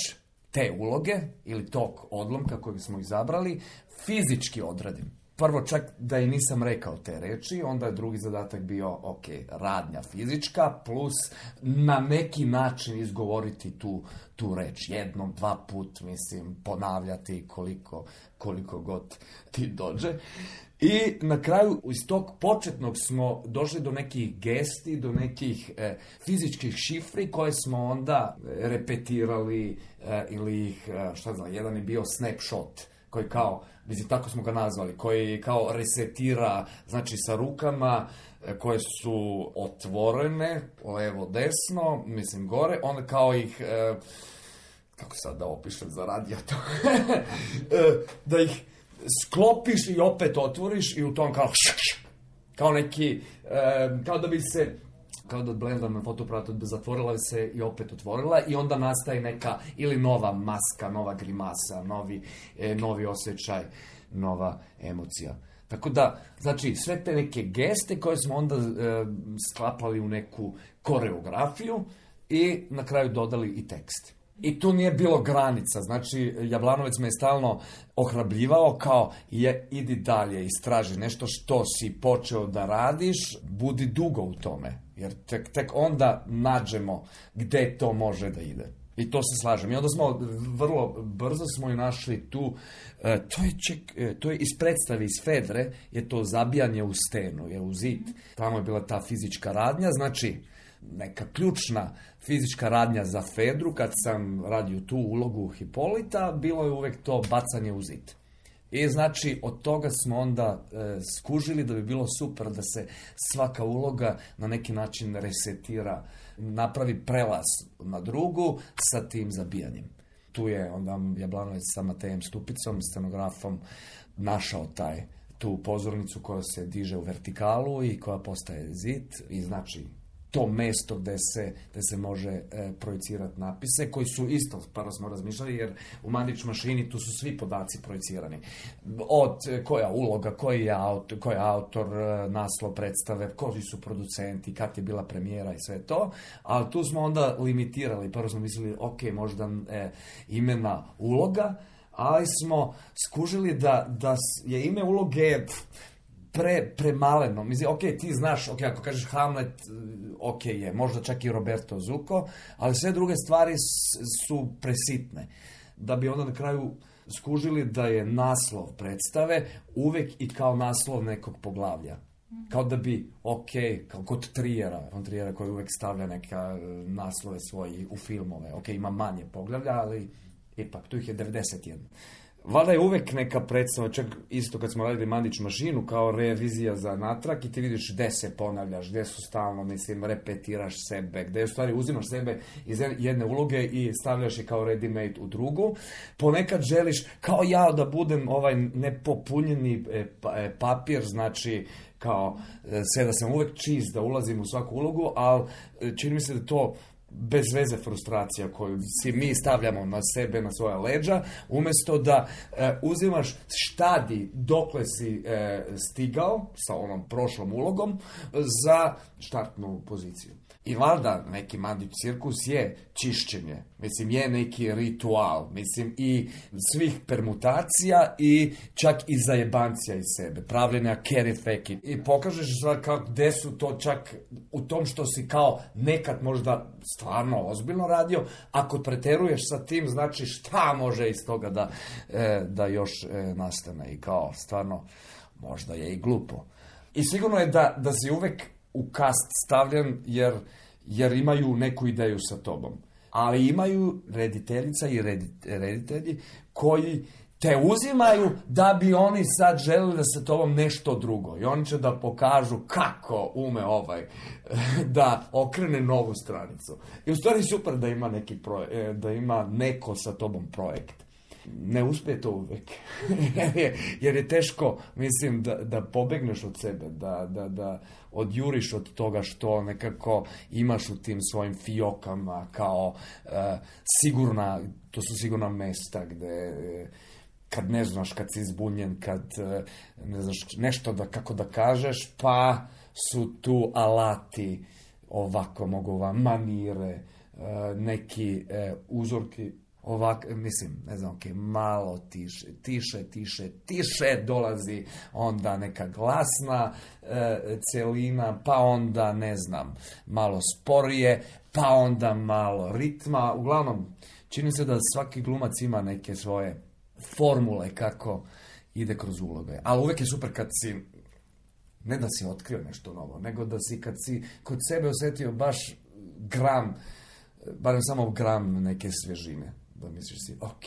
te uloge ili tog odlomka koji smo izabrali, fizički odradim. Prvo čak da i nisam rekao te reči, onda je drugi zadatak bio, ok, radnja fizička, plus na neki način izgovoriti tu, tu reč. Jednom, dva put, mislim, ponavljati koliko, koliko god ti dođe. I na kraju iz tog početnog smo došli do nekih gesti, do nekih e, fizičkih šifri koje smo onda repetirali e, ili ih, e, šta znam, jedan je bio snapshot, koji kao, mislim, tako smo ga nazvali, koji kao resetira, znači sa rukama koje su otvorene, levo, desno, mislim, gore, onda kao ih, e, kako sad da opišem za radio to, da ih sklopiš i opet otvoriš i u tom kao, kao neki, e, kao da bi se kao da blendam na fotoaparatu, zatvorila se i opet otvorila i onda nastaje neka ili nova maska, nova grimasa, novi, e, novi osjećaj, nova emocija. Tako da, znači, sve te neke geste koje smo onda e, sklapali u neku koreografiju i na kraju dodali i tekst. I tu nije bilo granica, znači Jablanovec me je stalno ohrabljivao kao je, idi dalje, istraži nešto što si počeo da radiš, budi dugo u tome, jer tek, tek onda nađemo gde to može da ide. I to se slažem. I onda smo vrlo brzo smo i našli tu, e, to, je ček, e, to je iz predstave iz Fedre, je to zabijanje u stenu, je u zid. Tamo je bila ta fizička radnja, znači neka ključna fizička radnja za Fedru, kad sam radio tu ulogu Hipolita, bilo je uvek to bacanje u zid. I znači od toga smo onda e, skužili da bi bilo super da se svaka uloga na neki način resetira, napravi prelaz na drugu sa tim zabijanjem. Tu je onda Jablanovec sa Matejem Stupicom, scenografom, našao taj, tu pozornicu koja se diže u vertikalu i koja postaje zid i znači to mesto gde se, gde se može e, projicirati napise, koji su isto, prvo smo razmišljali, jer u Mandić mašini tu su svi podaci projicirani. Od e, koja uloga, koji je autor, koji je autor e, naslov predstave, koji su producenti, kad je bila premijera i sve to, ali tu smo onda limitirali. Prvo smo mislili, ok, možda e, imena uloga, ali smo skužili da, da je ime uloge pre, premaleno. Mislim, ok, ti znaš, ok, ako kažeš Hamlet, ok je, možda čak i Roberto Zucco, ali sve druge stvari su presitne. Da bi onda na kraju skužili da je naslov predstave uvek i kao naslov nekog poglavlja. Kao da bi, ok, kao kod Trijera, on Trijera koji uvek stavlja neka naslove svoji u filmove. Ok, ima manje poglavlja, ali ipak, tu ih je devedeset jedan. Valjda je uvek neka predstava, čak isto kad smo radili Mandić mašinu, kao revizija za natrag i ti vidiš gde se ponavljaš, gde su stalno, mislim, repetiraš sebe, gde u stvari uzimaš sebe iz jedne uloge i stavljaš je kao ready-made u drugu. Ponekad želiš, kao ja, da budem ovaj nepopunjeni papir, znači kao sve da sam uvek čist, da ulazim u svaku ulogu, ali čini mi se da to bez veze frustracija koju si mi stavljamo na sebe, na svoja leđa, umjesto da e, uzimaš štadi dokle si e, stigao sa onom prošlom ulogom za štartnu poziciju. I valjda neki Mandić cirkus je čišćenje, mislim je neki ritual, mislim i svih permutacija i čak i zajebancija iz sebe, pravljenja carry fake i pokažeš kako gde su to čak u tom što si kao nekad možda stvarno ozbiljno radio, ako preteruješ sa tim znači šta može iz toga da, da još nastane i kao stvarno možda je i glupo. I sigurno je da, da si uvek u kast stavljen jer, jer imaju neku ideju sa tobom. Ali imaju rediteljica i reditelji koji te uzimaju da bi oni sad želeli da sa tobom nešto drugo. I oni će da pokažu kako ume ovaj da okrene novu stranicu. I u stvari super da ima neki projekt, da ima neko sa tobom projekt. Ne uspije to uvek. jer, je, jer je teško, mislim, da, da pobegneš od sebe, da, da, da odjuriš od toga što nekako imaš u tim svojim fiokama kao uh, sigurna, to su sigurna mesta gde uh, kad ne znaš, kad si zbunjen, kad uh, ne znaš nešto da, kako da kažeš, pa su tu alati ovako mogu vam manire, uh, neki uh, uzorki. Ovak, mislim, ne znam, ok, malo tiše, tiše, tiše, tiše dolazi onda neka glasna e, celina, pa onda, ne znam, malo sporije, pa onda malo ritma. Uglavnom, čini se da svaki glumac ima neke svoje formule kako ide kroz uloge. Ali uvek je super kad si, ne da si otkrio nešto novo, nego da si kad si kod sebe osjetio baš gram, barem samo gram neke svežine. Da misliš si, ok,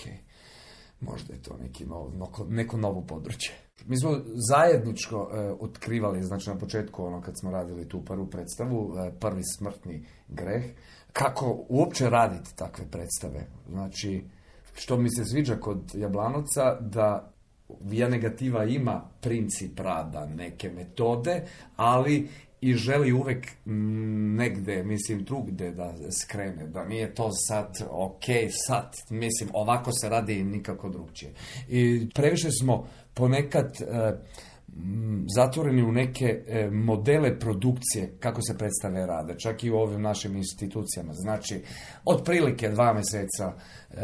možda je to neki nov, neko novo područje. Mi smo zajedničko e, otkrivali, znači na početku, ono kad smo radili tu prvu predstavu, e, prvi smrtni greh, kako uopće raditi takve predstave. Znači, što mi se sviđa kod Jablanovca, da Via Negativa ima princip rada, neke metode, ali i želi uvek negde, mislim, drugde da skrene, da nije to sad, ok, sad, mislim, ovako se radi nikako drugčije. I previše smo ponekad e, zatvoreni u neke e, modele produkcije, kako se predstave rade, čak i u ovim našim institucijama. Znači, otprilike dva mjeseca e,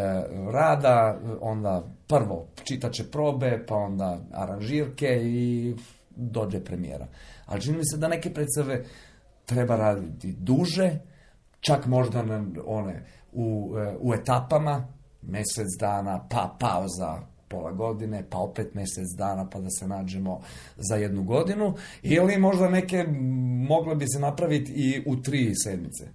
rada, onda prvo čitaće probe, pa onda aranžirke i dođe premijera. Ali čini mi se da neke predstave treba raditi duže, čak možda na one u, u etapama, mjesec dana, pa pauza pola godine, pa opet mjesec dana, pa da se nađemo za jednu godinu, ili možda neke mogle bi se napraviti i u tri sedmice.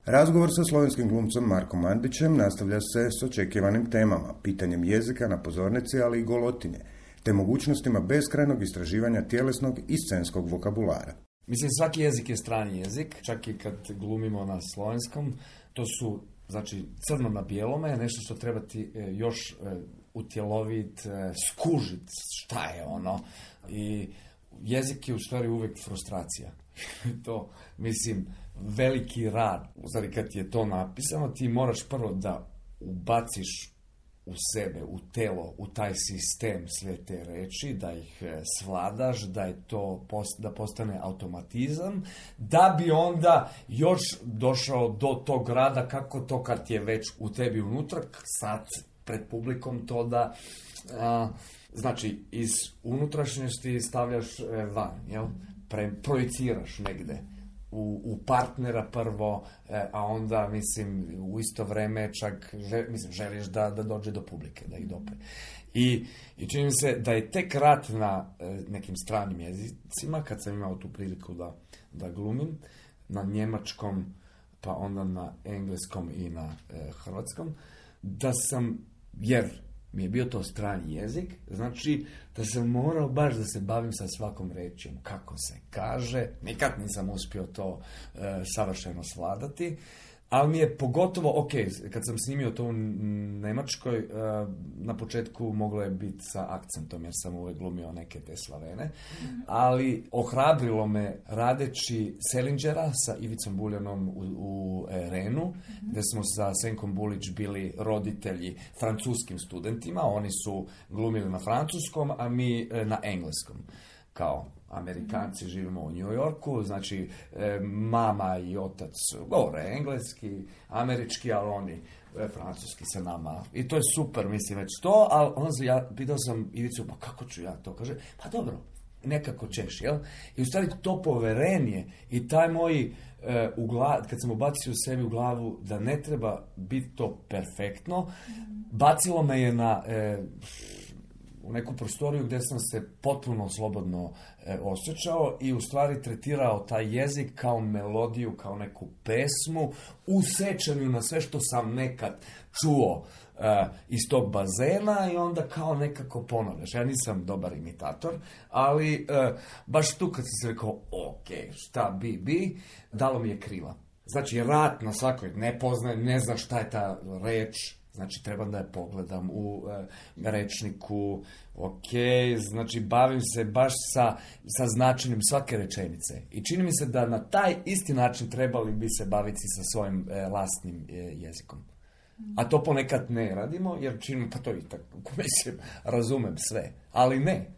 Razgovor sa slovenskim glumcom Markom Mandićem nastavlja se s očekivanim temama, pitanjem jezika na pozornici, ali i golotinje, te mogućnostima beskrajnog istraživanja tjelesnog i scenskog vokabulara. Mislim, svaki jezik je strani jezik, čak i kad glumimo na slovenskom. To su, znači, crno na bijelome, nešto što treba ti još utjelovit, skužit šta je ono. I jezik je u stvari uvijek frustracija. To, mislim, veliki rad. U stvari, kad ti je to napisano, ti moraš prvo da ubaciš u sebe, u telo, u taj sistem sve te reči, da ih svladaš, da je to da postane automatizam, da bi onda još došao do tog rada, kako to kad je već u tebi unutra, sad pred publikom to da a, znači iz unutrašnjosti stavljaš van, jel? Pre, projiciraš negde U, u partnera prvo, eh, a onda, mislim, u isto vreme čak, žel, mislim, želiš da, da dođe do publike, da ih dopre. I, i čini mi se da je tek rad na eh, nekim stranim jezicima, kad sam imao tu priliku da, da glumim, na njemačkom, pa onda na engleskom i na eh, hrvatskom, da sam, jer mi je bio to strani jezik, znači da sam morao baš da se bavim sa svakom rečjom, kako se kaže, nikad nisam uspio to e, savršeno svladati, ali mi je pogotovo, ok, kad sam snimio to u Njemačkoj, e, na početku moglo je biti sa akcentom, jer sam uvijek glumio neke te Slavene, ali ohrabrilo me radeći Selingera sa Ivicom Buljanom u, u Renu, gdje smo sa Senkom Bulić bili roditelji francuskim studentima, oni su glumili na francuskom, a mi na engleskom, kao Amerikanci živimo u New Yorku, znači e, mama i otac govore engleski, američki, ali oni e, francuski sa nama. I to je super, mislim, već to, ali onda sam, ja pitao sam Ivicu, pa kako ću ja to? Kaže, pa dobro, nekako ćeš, jel? I u stvari to poverenje i taj moj, e, u glav, kad sam ubacio u sebi u glavu da ne treba biti to perfektno, bacilo me je na... E, u neku prostoriju gdje sam se potpuno slobodno e, osjećao i u stvari tretirao taj jezik kao melodiju, kao neku pesmu, u sećanju na sve što sam nekad čuo e, iz tog bazena i onda kao nekako ponavljaš. Ja nisam dobar imitator, ali e, baš tu kad sam se rekao, ok, šta bi bi, dalo mi je krila. Znači, rat na svakoj, ne poznajem, ne znam šta je ta reč, znači, trebam da je pogledam u e, rečniku, ok, znači, bavim se baš sa, sa značenjem svake rečenice. I čini mi se da na taj isti način trebali bi se baviti sa svojim e, lastnim e, jezikom. A to ponekad ne radimo, jer činimo, pa to i tako, mislim, razumem sve, ali ne.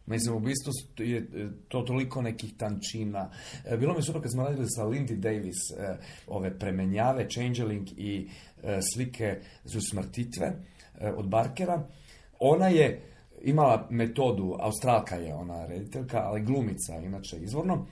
Mislim, u bistvu je to toliko nekih tančina. Bilo mi super kad smo radili sa Lindy Davis ove premenjave, Changeling i slike za smrtitve od Barkera. Ona je imala metodu, Australka je ona rediteljka, ali glumica, inače izvorno,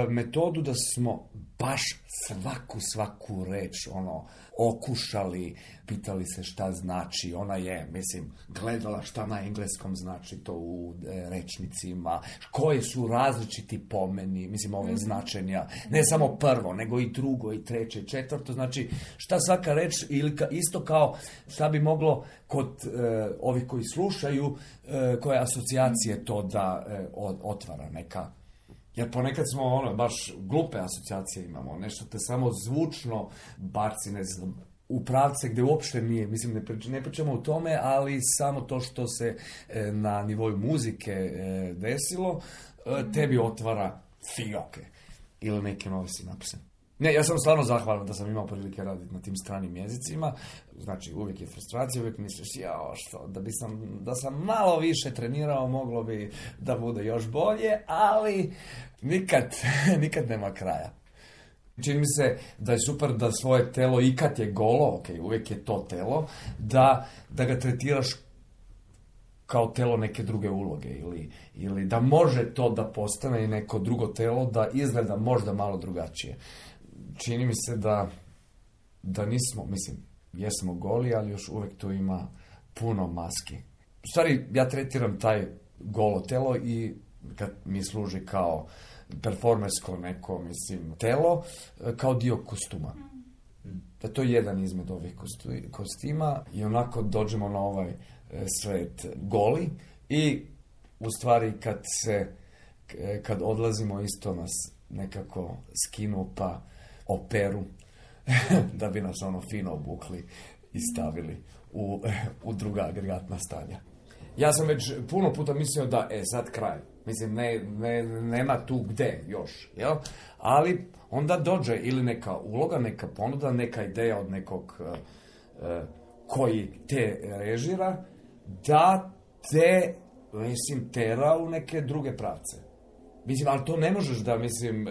metodu da smo baš svaku, svaku reč, ono, okušali, pitali se šta znači, ona je, mislim, gledala šta na engleskom znači to u e, rečnicima, koje su različiti pomeni, mislim, ove značenja, ne samo prvo, nego i drugo, i treće, i četvrto, znači, šta svaka reč, ili ka, isto kao šta bi moglo kod e, ovih koji slušaju, e, koje asocijacije to da e, otvara neka. Jer ponekad smo, ono, baš glupe asocijacije imamo, nešto te samo zvučno baci, ne znam, u pravce gdje uopšte nije, mislim, ne, prič, ne pričamo o tome, ali samo to što se e, na nivoju muzike e, desilo, e, tebi otvara fioke. ili neke nove sinapse. Ne, ja sam stvarno zahvalan da sam imao prilike raditi na tim stranim jezicima. Znači, uvijek je frustracija, uvijek misliš, jao, što, da, bi sam, da sam malo više trenirao, moglo bi da bude još bolje, ali nikad, nikad nema kraja. Čini mi se da je super da svoje telo, i kad je golo, ok, uvijek je to telo, da, da ga tretiraš kao telo neke druge uloge ili, ili da može to da postane i neko drugo telo da izgleda možda malo drugačije. Čini mi se da, da nismo, mislim, jesmo goli, ali još uvijek tu ima puno maski. U stvari, ja tretiram taj golo telo i kad mi služi kao performersko neko, mislim, telo, kao dio kostuma. Da to je jedan izmed ovih kostima i onako dođemo na ovaj svet goli i u stvari kad se, kad odlazimo isto nas nekako skinu pa operu da bi nas ono fino obukli i stavili u, u druga agregatna stanja. Ja sam već puno puta mislio da, e, sad kraj. Mislim, ne, ne, nema tu gde još, jel? Ali onda dođe ili neka uloga, neka ponuda, neka ideja od nekog uh, uh, koji te režira, da te, mislim, tera u neke druge pravce. Mislim, ali to ne možeš da, mislim,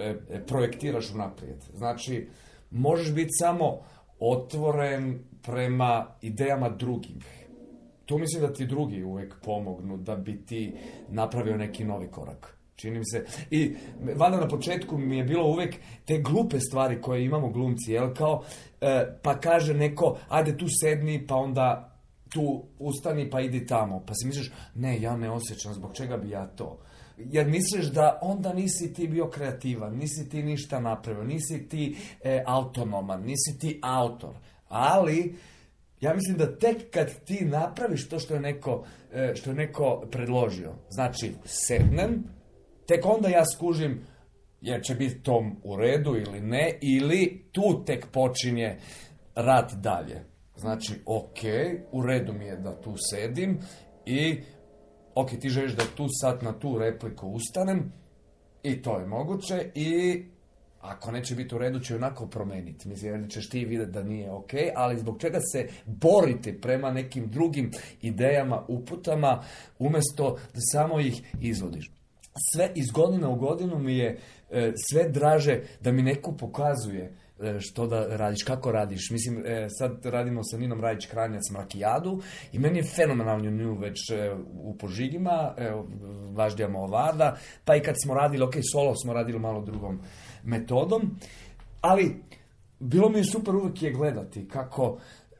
projektiraš unaprijed. Znači, možeš biti samo otvoren prema idejama drugih. Tu mislim da ti drugi uvijek pomognu da bi ti napravio neki novi korak. Čini mi se. I valjda na početku mi je bilo uvijek te glupe stvari koje imamo glumci, jel, kao, e, pa kaže neko, ajde tu sedni, pa onda tu ustani, pa idi tamo. Pa si misliš, ne, ja ne osjećam, zbog čega bi ja to? Jer misliš da onda nisi ti bio kreativan, nisi ti ništa napravio, nisi ti e, autonoman, nisi ti autor. Ali ja mislim da tek kad ti napraviš to što je neko, e, što je neko predložio, znači sednem, tek onda ja skužim jer će biti tom u redu ili ne, ili tu tek počinje rad dalje. Znači, ok, u redu mi je da tu sedim i ok, ti želiš da tu sad na tu repliku ustanem i to je moguće i ako neće biti u redu će onako promeniti. Mislim, jer ćeš ti vidjeti da nije ok, ali zbog čega se borite prema nekim drugim idejama, uputama, umjesto da samo ih izvodiš. Sve iz godine u godinu mi je e, sve draže da mi neko pokazuje e, što da radiš, kako radiš. Mislim, e, sad radimo sa Ninom Rajić-Kranjac Mrakijadu i meni je fenomenalno nju već e, u Požigima, e, Važdijama Ovada, pa i kad smo radili, ok, solo smo radili malo drugom metodom, ali bilo mi je super uvijek je gledati kako,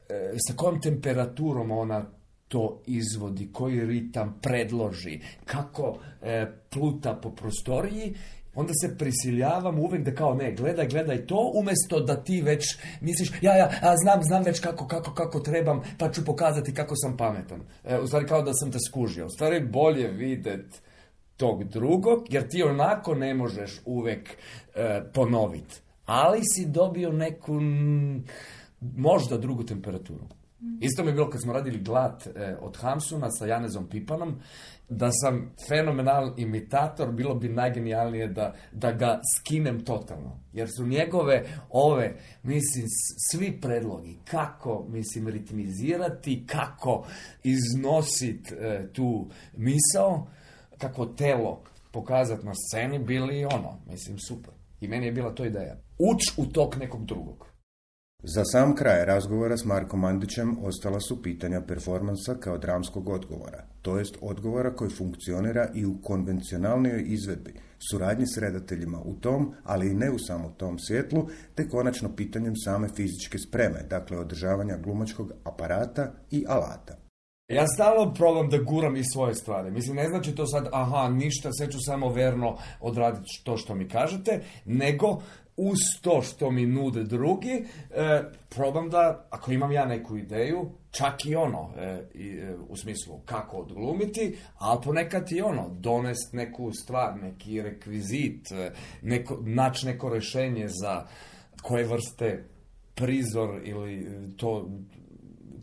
e, sa kojom temperaturom ona to izvodi, koji ritam predloži, kako e, pluta po prostoriji, onda se prisiljavam uvijek da kao ne, gledaj, gledaj to, umjesto da ti već misliš, ja, ja, a znam, znam već kako, kako, kako trebam, pa ću pokazati kako sam pametan. E, u stvari kao da sam te skužio. U stvari bolje vidjet tog drugog, jer ti onako ne možeš uvijek e, ponoviti. Ali si dobio neku, m, možda drugu temperaturu. Isto mi je bilo kad smo radili Glad e, od Hamsuna sa Janezom Pipanom, da sam fenomenal imitator, bilo bi najgenijalnije da, da ga skinem totalno. Jer su njegove ove, mislim, svi predlogi, kako, mislim, ritmizirati, kako iznositi e, tu misao, kako telo pokazati na sceni, bili ono, mislim, super. I meni je bila to ideja. Uč u tok nekog drugog. Za sam kraj razgovora s Markom Mandićem ostala su pitanja performansa kao dramskog odgovora, to jest odgovora koji funkcionira i u konvencionalnoj izvedbi, suradnji s redateljima u tom, ali i ne u samo tom svjetlu, te konačno pitanjem same fizičke spreme, dakle održavanja glumačkog aparata i alata. Ja stalno probam da guram i svoje stvari. Mislim, ne znači to sad, aha, ništa, sve ću samo verno odraditi to što mi kažete, nego uz to što mi nude drugi, e, probam da, ako imam ja neku ideju, čak i ono, e, i, e, u smislu kako odglumiti, ali ponekad i ono, donest neku stvar, neki rekvizit, e, neko, naći neko rješenje za koje vrste prizor ili to,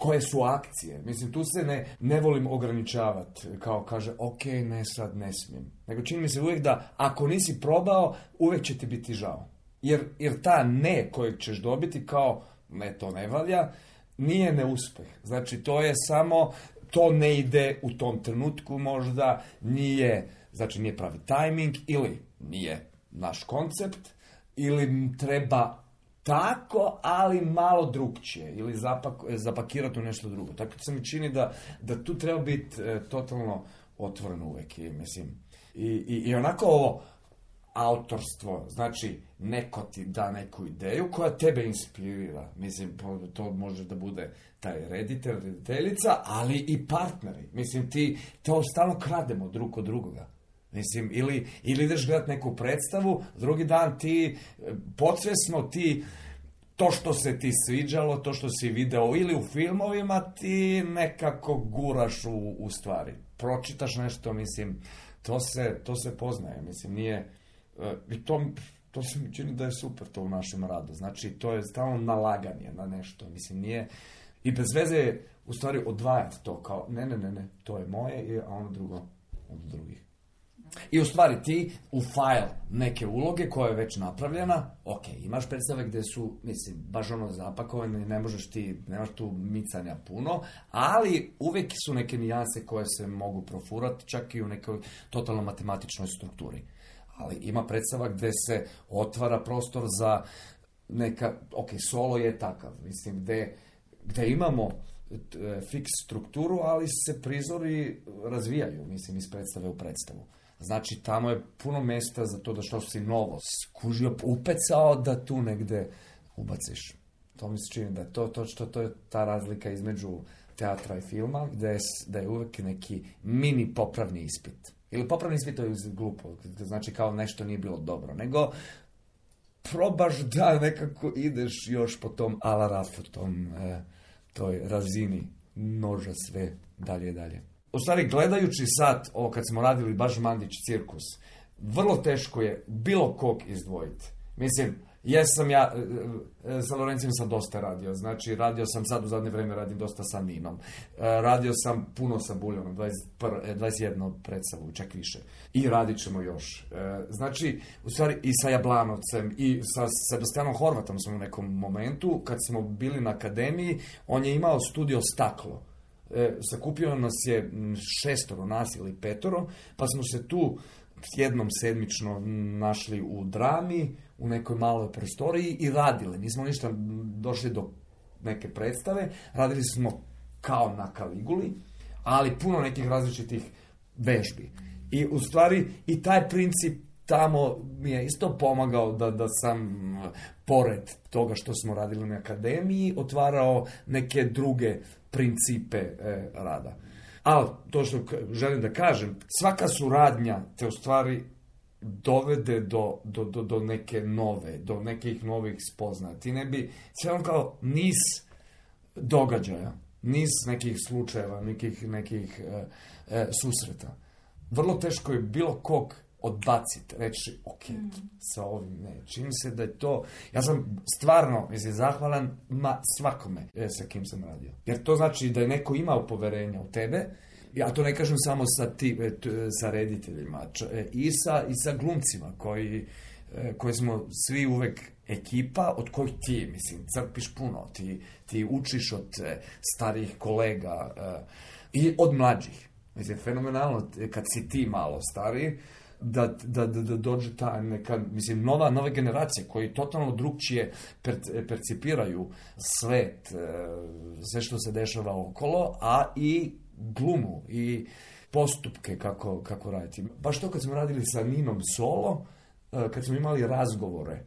koje su akcije. Mislim, tu se ne, ne volim ograničavati, kao kaže, ok, ne sad, ne smijem. Nego čini mi se uvijek da ako nisi probao, uvijek će ti biti žao. Jer, jer ta ne kojeg ćeš dobiti kao, ne, to ne valja, nije neuspjeh. Znači, to je samo, to ne ide u tom trenutku možda, nije, znači nije pravi tajming, ili nije naš koncept, ili treba tako, ali malo drugčije, ili zapak, zapakirati u nešto drugo. Tako se mi čini da, da tu treba biti e, totalno otvoren uvijek. I, mislim, i, i, i onako ovo autorstvo, znači neko ti da neku ideju koja tebe inspirira. Mislim, to može da bude taj reditelj, rediteljica, ali i partneri. Mislim, ti to stalno krademo drug od drugoga. Mislim, ili, ili ideš gledati neku predstavu, drugi dan ti podsvjesno ti to što se ti sviđalo, to što si video ili u filmovima, ti nekako guraš u, u stvari. Pročitaš nešto, mislim, to se, to se poznaje, mislim, nije... I to, to se mi čini da je super to u našem radu. Znači, to je stalno nalaganje na nešto, mislim, nije... I bez veze je, u stvari, odvajati to kao, ne, ne, ne, ne, to je moje, a ono drugo od drugih. I u stvari ti u file neke uloge koja je već napravljena, ok, imaš predstave gdje su, mislim, baš ono zapakovane, ne možeš ti, nemaš tu micanja puno, ali uvijek su neke nijanse koje se mogu profurati, čak i u nekoj totalno matematičnoj strukturi. Ali ima predstava gdje se otvara prostor za neka, ok, solo je takav, mislim, gdje, gdje imamo fiks strukturu, ali se prizori razvijaju, mislim, iz predstave u predstavu. Znači, tamo je puno mjesta za to da što si novo skužio, upecao da tu negdje ubaciš. To mi se čini da je to, to, što, to je ta razlika između teatra i filma, gdje je, da je uvijek neki mini popravni ispit. Ili popravni ispit to je glupo, znači kao nešto nije bilo dobro, nego probaš da nekako ideš još po tom alarafu, tom, eh, toj razini noža sve dalje i dalje. U stvari, gledajući sad, ovo kad smo radili baš Mandić cirkus, vrlo teško je bilo kog izdvojiti. Mislim, jesam ja, sa Lorencijem sam dosta radio, znači radio sam sad u zadnje vrijeme, radim dosta sa Ninom. Radio sam puno sa Buljonom, dvadeset jednu predstavu, čak više. I radit ćemo još. Znači, u stvari i sa Jablanovcem i sa Sebastianom Horvatom smo u nekom momentu, kad smo bili na akademiji, on je imao studio Staklo. E, sakupio nas je šestoro nas ili petoro, pa smo se tu jednom sedmično našli u Drami, u nekoj maloj prostoriji i radili. Nismo ništa došli do neke predstave, radili smo kao na Kaliguli, ali puno nekih različitih vežbi. I u stvari i taj princip tamo mi je isto pomagao da, da sam pored toga što smo radili na akademiji otvarao neke druge principe e, rada. Ali to što želim da kažem, svaka suradnja te u stvari dovede do, do, do, do neke nove, do nekih novih spoznaja. Ti ne bi, sve on kao niz događaja, niz nekih slučajeva, nekih, nekih e, e, susreta. Vrlo teško je bilo kog odbaciti, reći, ok, mm. sa ovim ne. Čini se da je to, ja sam stvarno, mislim, zahvalan ma svakome sa kim sam radio. Jer to znači da je neko imao poverenja u tebe, ja to ne kažem samo sa, ti, sa rediteljima, i sa, i sa glumcima koji, koji smo svi uvek ekipa od kojih ti, mislim, crpiš puno, ti, ti učiš od starijih kolega i od mlađih. Mislim, fenomenalno kad si ti malo stariji, Da, da, da, da dođe ta neka, mislim, nova, nove generacije koji totalno drugčije per, percipiraju svet, sve što se dešava okolo, a i glumu i postupke kako, kako raditi. Baš to kad smo radili sa Ninom solo, kad smo imali razgovore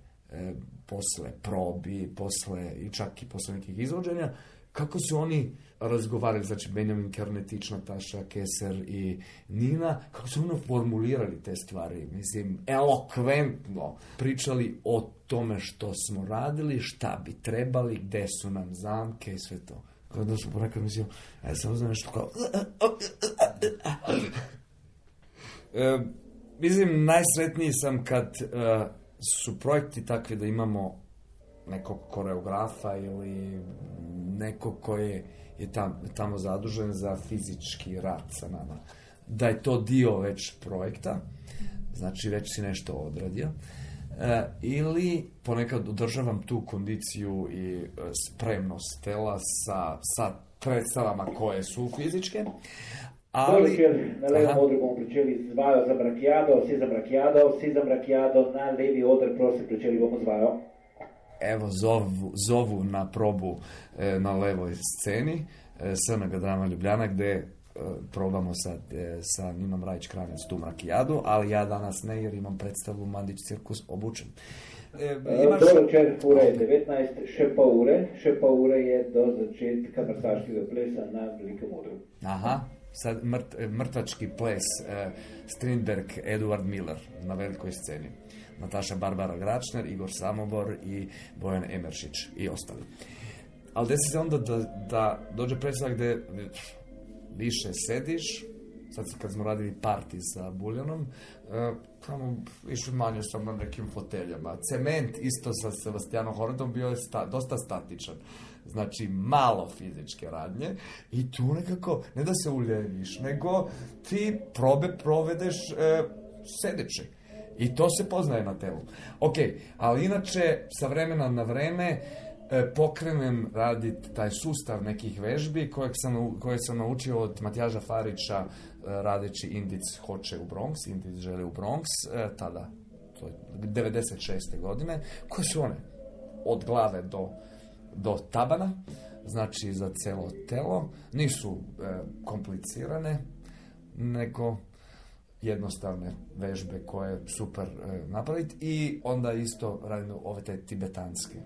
posle probi, posle i čak i posle nekih izvođenja, kako su oni razgovarali, znači Benjamin Kernetić, Nataša Keser i Nina, kako su ono formulirali te stvari, mislim, elokventno pričali o tome što smo radili, šta bi trebali, gde su nam zamke i sve to. Kada su ponekad mislio, ja sam znam nešto kao... e, mislim, najsretniji sam kad e, su projekti takvi da imamo nekog koreografa ili nekog koji je, je tam, tamo zadužen za fizički rad sa nama. Da je to dio već projekta, znači već si nešto odradio, e, ili ponekad održavam tu kondiciju i e, spremnost tela sa, sa predstavama koje su fizičke. Ali, na levem odru bomo pričeli z vajo za brakiado, vsi za brakiado, vsi za brakiado, na levi odr, prosim, pričeli bomo z vajo. Evo, zovu, zovu na probu e, na levoj sceni e, S N G Drama Ljubljana, gde e, probamo sad e, sa Ninom Rajić-Kranjac tu brakijadu, ali ja danas ne, jer imam predstavu Mandić cirkus obučen. E, imaš... Dobro večer, ura je devetnajst, še pol ure, še pol ure je do začetka mrtvaškega plesa na velikem odru. Aha. Sad mrt, mrtvački ples e, Strindberg, Eduard Miller na velikoj sceni. Nataša Barbara Gračner, Igor Samobor i Bojan Emeršić i ostali. Ali desi se onda da, da dođe predstava gde više sediš. Sad kad smo radili parti sa Buljanom, e, tamo više manje sam na nekim foteljama. Cement isto sa Sebastianom Horodom bio je sta, dosta statičan. Znači, malo fizičke radnje i tu nekako, ne da se uljeviš, nego ti probe provedeš e, sedeći. I to se poznaje na telu. Ok, ali inače, sa vremena na vreme e, pokrenem raditi taj sustav nekih vežbi kojeg sam, koje sam naučio od Matjaža Farića e, radeći Indic hoće u Bronx, Indic želi u Bronx, e, tada, to je devedeset šeste godine, koje su one od glave do do tabana, znači za celo telo, nisu e, komplicirane, nego jednostavne vežbe koje je super e, napraviti i onda isto radimo ove te tibetanske.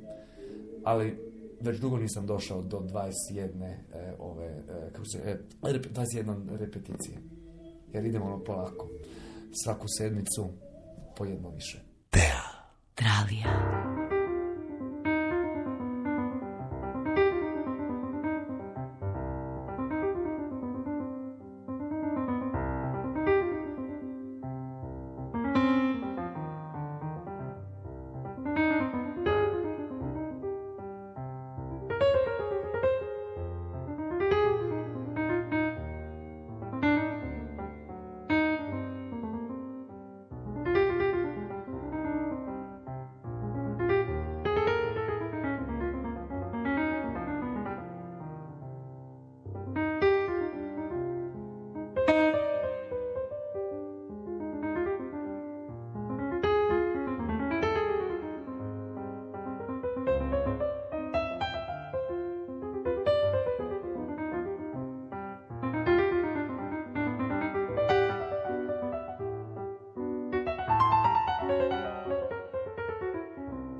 Ali već dugo nisam došao do dvadeset jedne e, ove, e, kako se, e, dvadeset jedne repeticije, jer idemo ono polako. Svaku sedmicu po jedno više. Teatralija.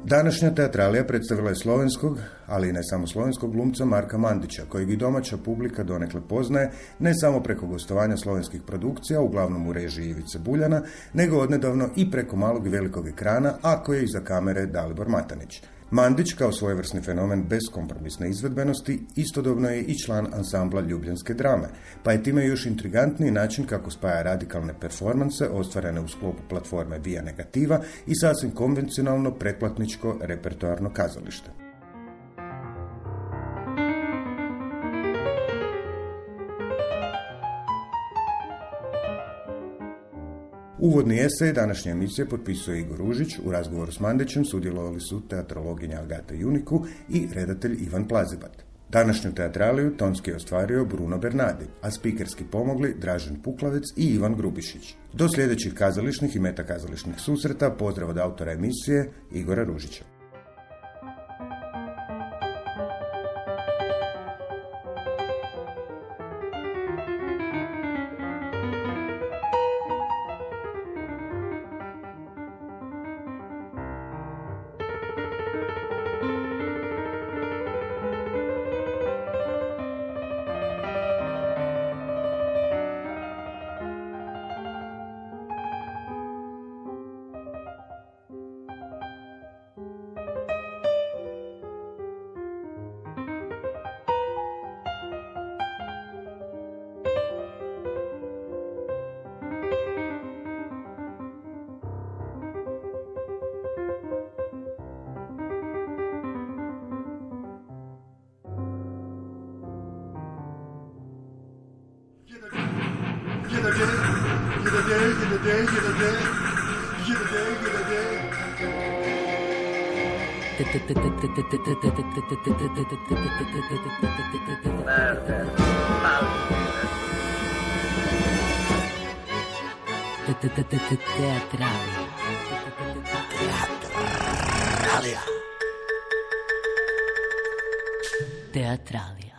Današnja teatralija predstavila je slovenskog, ali i ne samo slovenskog glumca Marka Mandića, kojeg i domaća publika donekle poznaje ne samo preko gostovanja slovenskih produkcija, uglavnom u režiji Ivice Buljana, nego odnedavno i preko malog i velikog ekrana, a koje iza kamere Dalibor Matanić. Mandić, kao svojevrsni fenomen bez kompromisne izvedbenosti, istodobno je i član ansambla Ljubljanske drame, pa je time još intrigantniji način kako spaja radikalne performanse ostvarene u sklopu platforme Via Negativa i sasvim konvencionalno pretplatničko repertoarno kazalište. Uvodni esej današnje emisije potpisuje Igor Ružić, u razgovoru s Mandićem sudjelovali su teatrologinja Agata Juniku i redatelj Ivan Plazibat. Današnju teatraliju tonski je ostvario Bruno Bernardi, a spikerski pomogli Dražen Puklavec i Ivan Grubišić. Do sljedećih kazališnih i metakazališnih susreta pozdrav od autora emisije Igora Ružića. Teatralija. Teatralija. Teatralija.